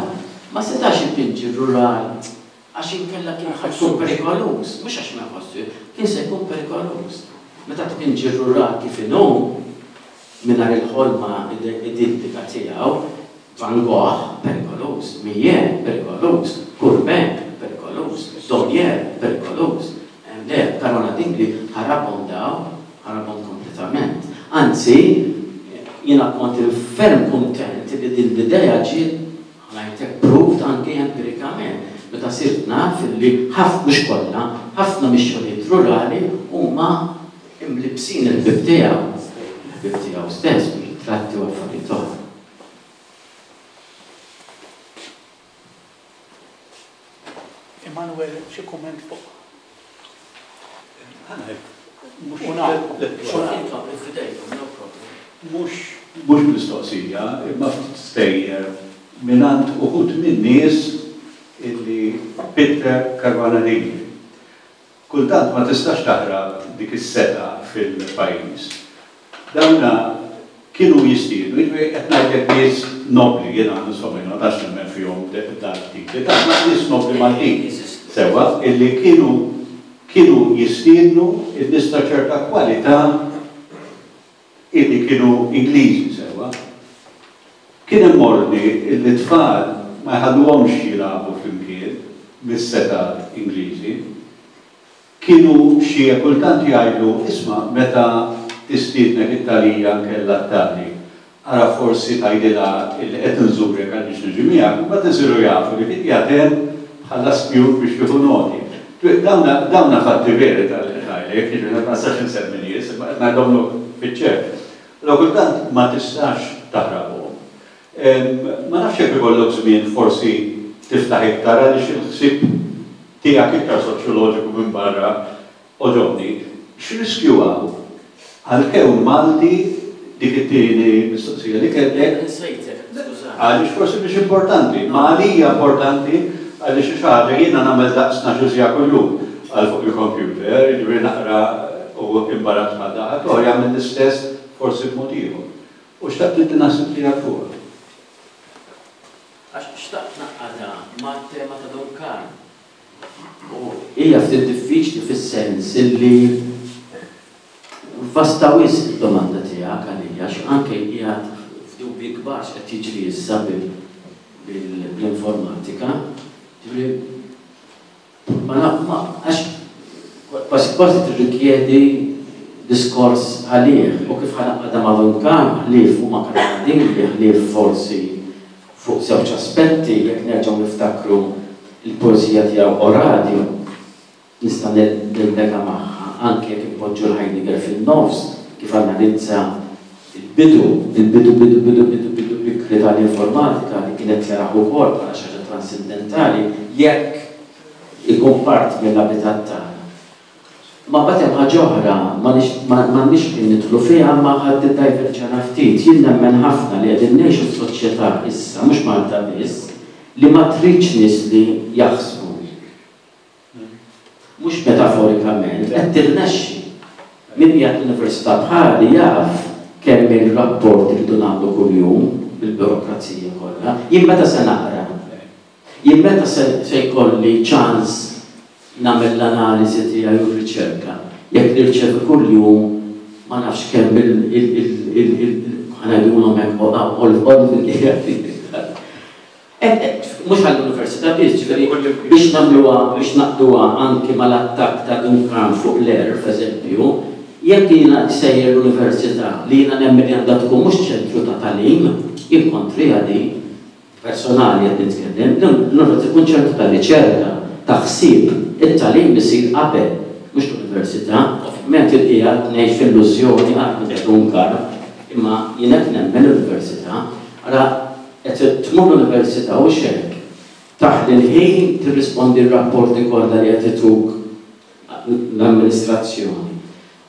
ma setax ipinġi rural għax inkella kien ħa jkun perikoluż, mhux għax ma jħossu, kien se jkun perikoluż. Meta tpinġi rural kif inhu, mingħajr il-ħolma idillika tiegħu, Van Gogh perikoluż, Millet perikoluż, Courbet perikoluż, Daumier perikoluż. Le, Caruana Dingli ħarabhom daw, ħarabhom kompletament. Anzi, jiena kont ferm kuntent li din l-idea ġiet ħanajtek proved anke empirikament. Meta sirt naf li ħafna, mhux kollha, ħafna mix-xogħlijiet rurali huma imlibsin il-ħbieb tiegħu, il-ħbieb tiegħu stess, ritratti u affarijiet oħra. Emanuel, xi kumment fuq? Mhux mistoqsija, imma ftit stejjer mingħand uħud min-nies illi Peter Caruana Dingli. Kultant ma tistax taħrab dik is-seta fil-pajjiż. Dawna kienu jistiednu, jiġifieri qed ngħidlek nies nobli, jiena insomma jiena ma tantx nemmen fihom dal-titli, ta' nies nobli Maltin sewwa illi kienu kienu jistiednu n-nies ta' ċerta kwalità illi kienu Ingliżi sewwa. Kien hemm ordni illi t-tfal ma jħalluhomx jilagħbu flimkien mis-setat Ingliżi. Kienu xi kultant jgħidu, isma' meta tistiednek it-Talija nkella t-Tali, ara forsi tgħidilha illi qed nżurek għaliex niġi miegħek, imbagħad isiru jafu li kien qiegħed hemm bħala spjun biex jieħu noti. Dawna, dawna fatti veri tal-qed ngħidlek, jiġifieri ma nistax insemmi nies, imma qed ngħidhomlok fiċ-ċert. Allura kultant ma tistax taħrabhom. Ma nafx jekk ikollok żmien forsi tiftaħ iktar għaliex il-ħsieb tiegħek iktar soċjoloġiku minn barra oġobni. X'riskju hawn għall-kewn Malti dik it-tieni mistoqsija li kellek? Għaliex forsi mhix importanti, ma għalija importanti għaliex xi ħaġa jiena nagħmel daqs tnax-il siegħa kuljum għal fuq il-computer, jiġifieri naqra u imbarazz bħal dak, ħadd jagħmel l-istess forsi b'mod ieħor. U xtaqt inti naħseb tiegħek fuqha. Għax xtaqt naqgħadha mat-tema ta' Dun Karm. U hija ftit diffiċli fis-sens illi vasta wisq id-domanda tiegħek għalija, għax anke qiegħed f'dubji kbar x'qed jiġri issa bl-informatika. Ġifieri ma naf ma għax kważi kważi tirrikjedi diskors għalih u kif ħanaqgħadha ma' Dun Karm ħlief huma kanadin ħlief forsi fuq żewġ aspetti jekk nerġgħu niftakru il-poeżija tiegħu Oradio nista' nillega magħha anke jekk inpoġġu l-Heidegger fin-nofs kif analizza il-bidu, il-bidu, bidu, bidu, bidu, bidu bikri tal-informatika li kienet jaraħ ukoll bħala xi ħaġa transcendentali jekk ikun part mill-abitat tagħna. Ma mbagħad hemm ħaġa oħra m'għandniex kien nidħlu fiha ma ħadd iddajverġana ftit. Jien nemmen ħafna li qegħdin ngħixu f'soċjetà issa mhux Malta biss li ma tridx nies li jaħsbu. Mhux metaforikament, qed tirnexxi. Min qiegħed l-università bħali jaf kemm il-rapport irridu nagħmlu kuljum bil-burokrazija kollha. Jien meta se naqra? Jien meta se jkolli ċans nagħmel l-analiżi tiegħi u r-riċerka. Jekk nirċevi kuljum ma nafx kemm il ħanajdulhom hekk mhux għall-università biss, ġifieri biex nagħmluha biex naqduha anke mal-attakk ta' Dun Karm fuq l-erf, eżempju, jekk jiena sejjer l-università li jiena nemmen li għandha tkun mhux ċentru ta' tagħlim, jien kontriha di personali qed nitkellem, l-università tkun ċentru ta' riċerka, ta' ħsieb, it-tagħlim isir qabel, mhux l-università, ovvjament il-qiegħed ngħix f'illużjoni għal Dun Karm, imma jien qed nemmen l-università, ara qed tmur l-università u xejn. Taħli l-ħin tirrispondi r-rapporti kollha li qed ituk l-amministrazzjoni.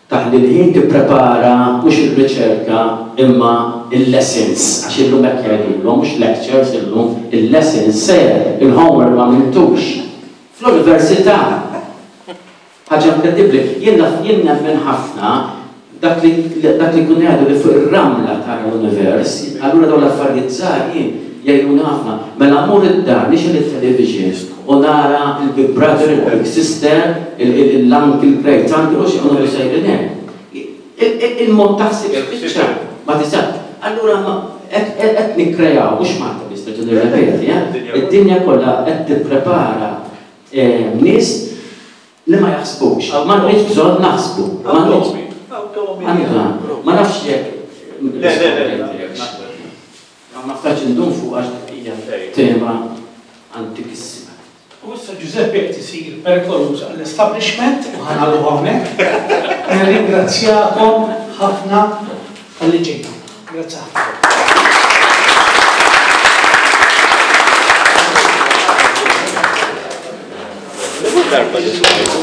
Taħli l-ħin tipprepara mhux ir-riċerka imma il-lessons, għax illum hekk jgħidulhom, mhux lectures illum, il-lessons ser, il-homework ma għamiltux. Fl-università ħaġa inkredibbli, jien jien nemmen ħafna dak li dak li kun jgħidu li fuq ir-ramla tara l-univers, allura dawn l-affarijiet żgħar jien jgħiduni ħafna. Mela mmur id-dar nixgħel it-television u nara il-Big Brother, il-Big Sister, l-Uncle Great Uncle, u xi għonu sejrin hekk. Il-mod taħseb spiċċa, ma tistax. Allura qed nikkrejaw, mhux Malta biss nerġa' nirrepeti, id-dinja kollha qed tipprepara nies li ma jaħsbux. M'għandniex bżonn naħsbu. Ma nafx jekk. Le, le, le. Ma nafx indum fuq għax hija tema antikissima. U issa Giuseppe qed isir perikoluż għall-establishment u ħanagħlqu hawnhekk. Nirringrazzjakom ħafna talli ġejtu. Grazzi ħafna. Darba li smajtu.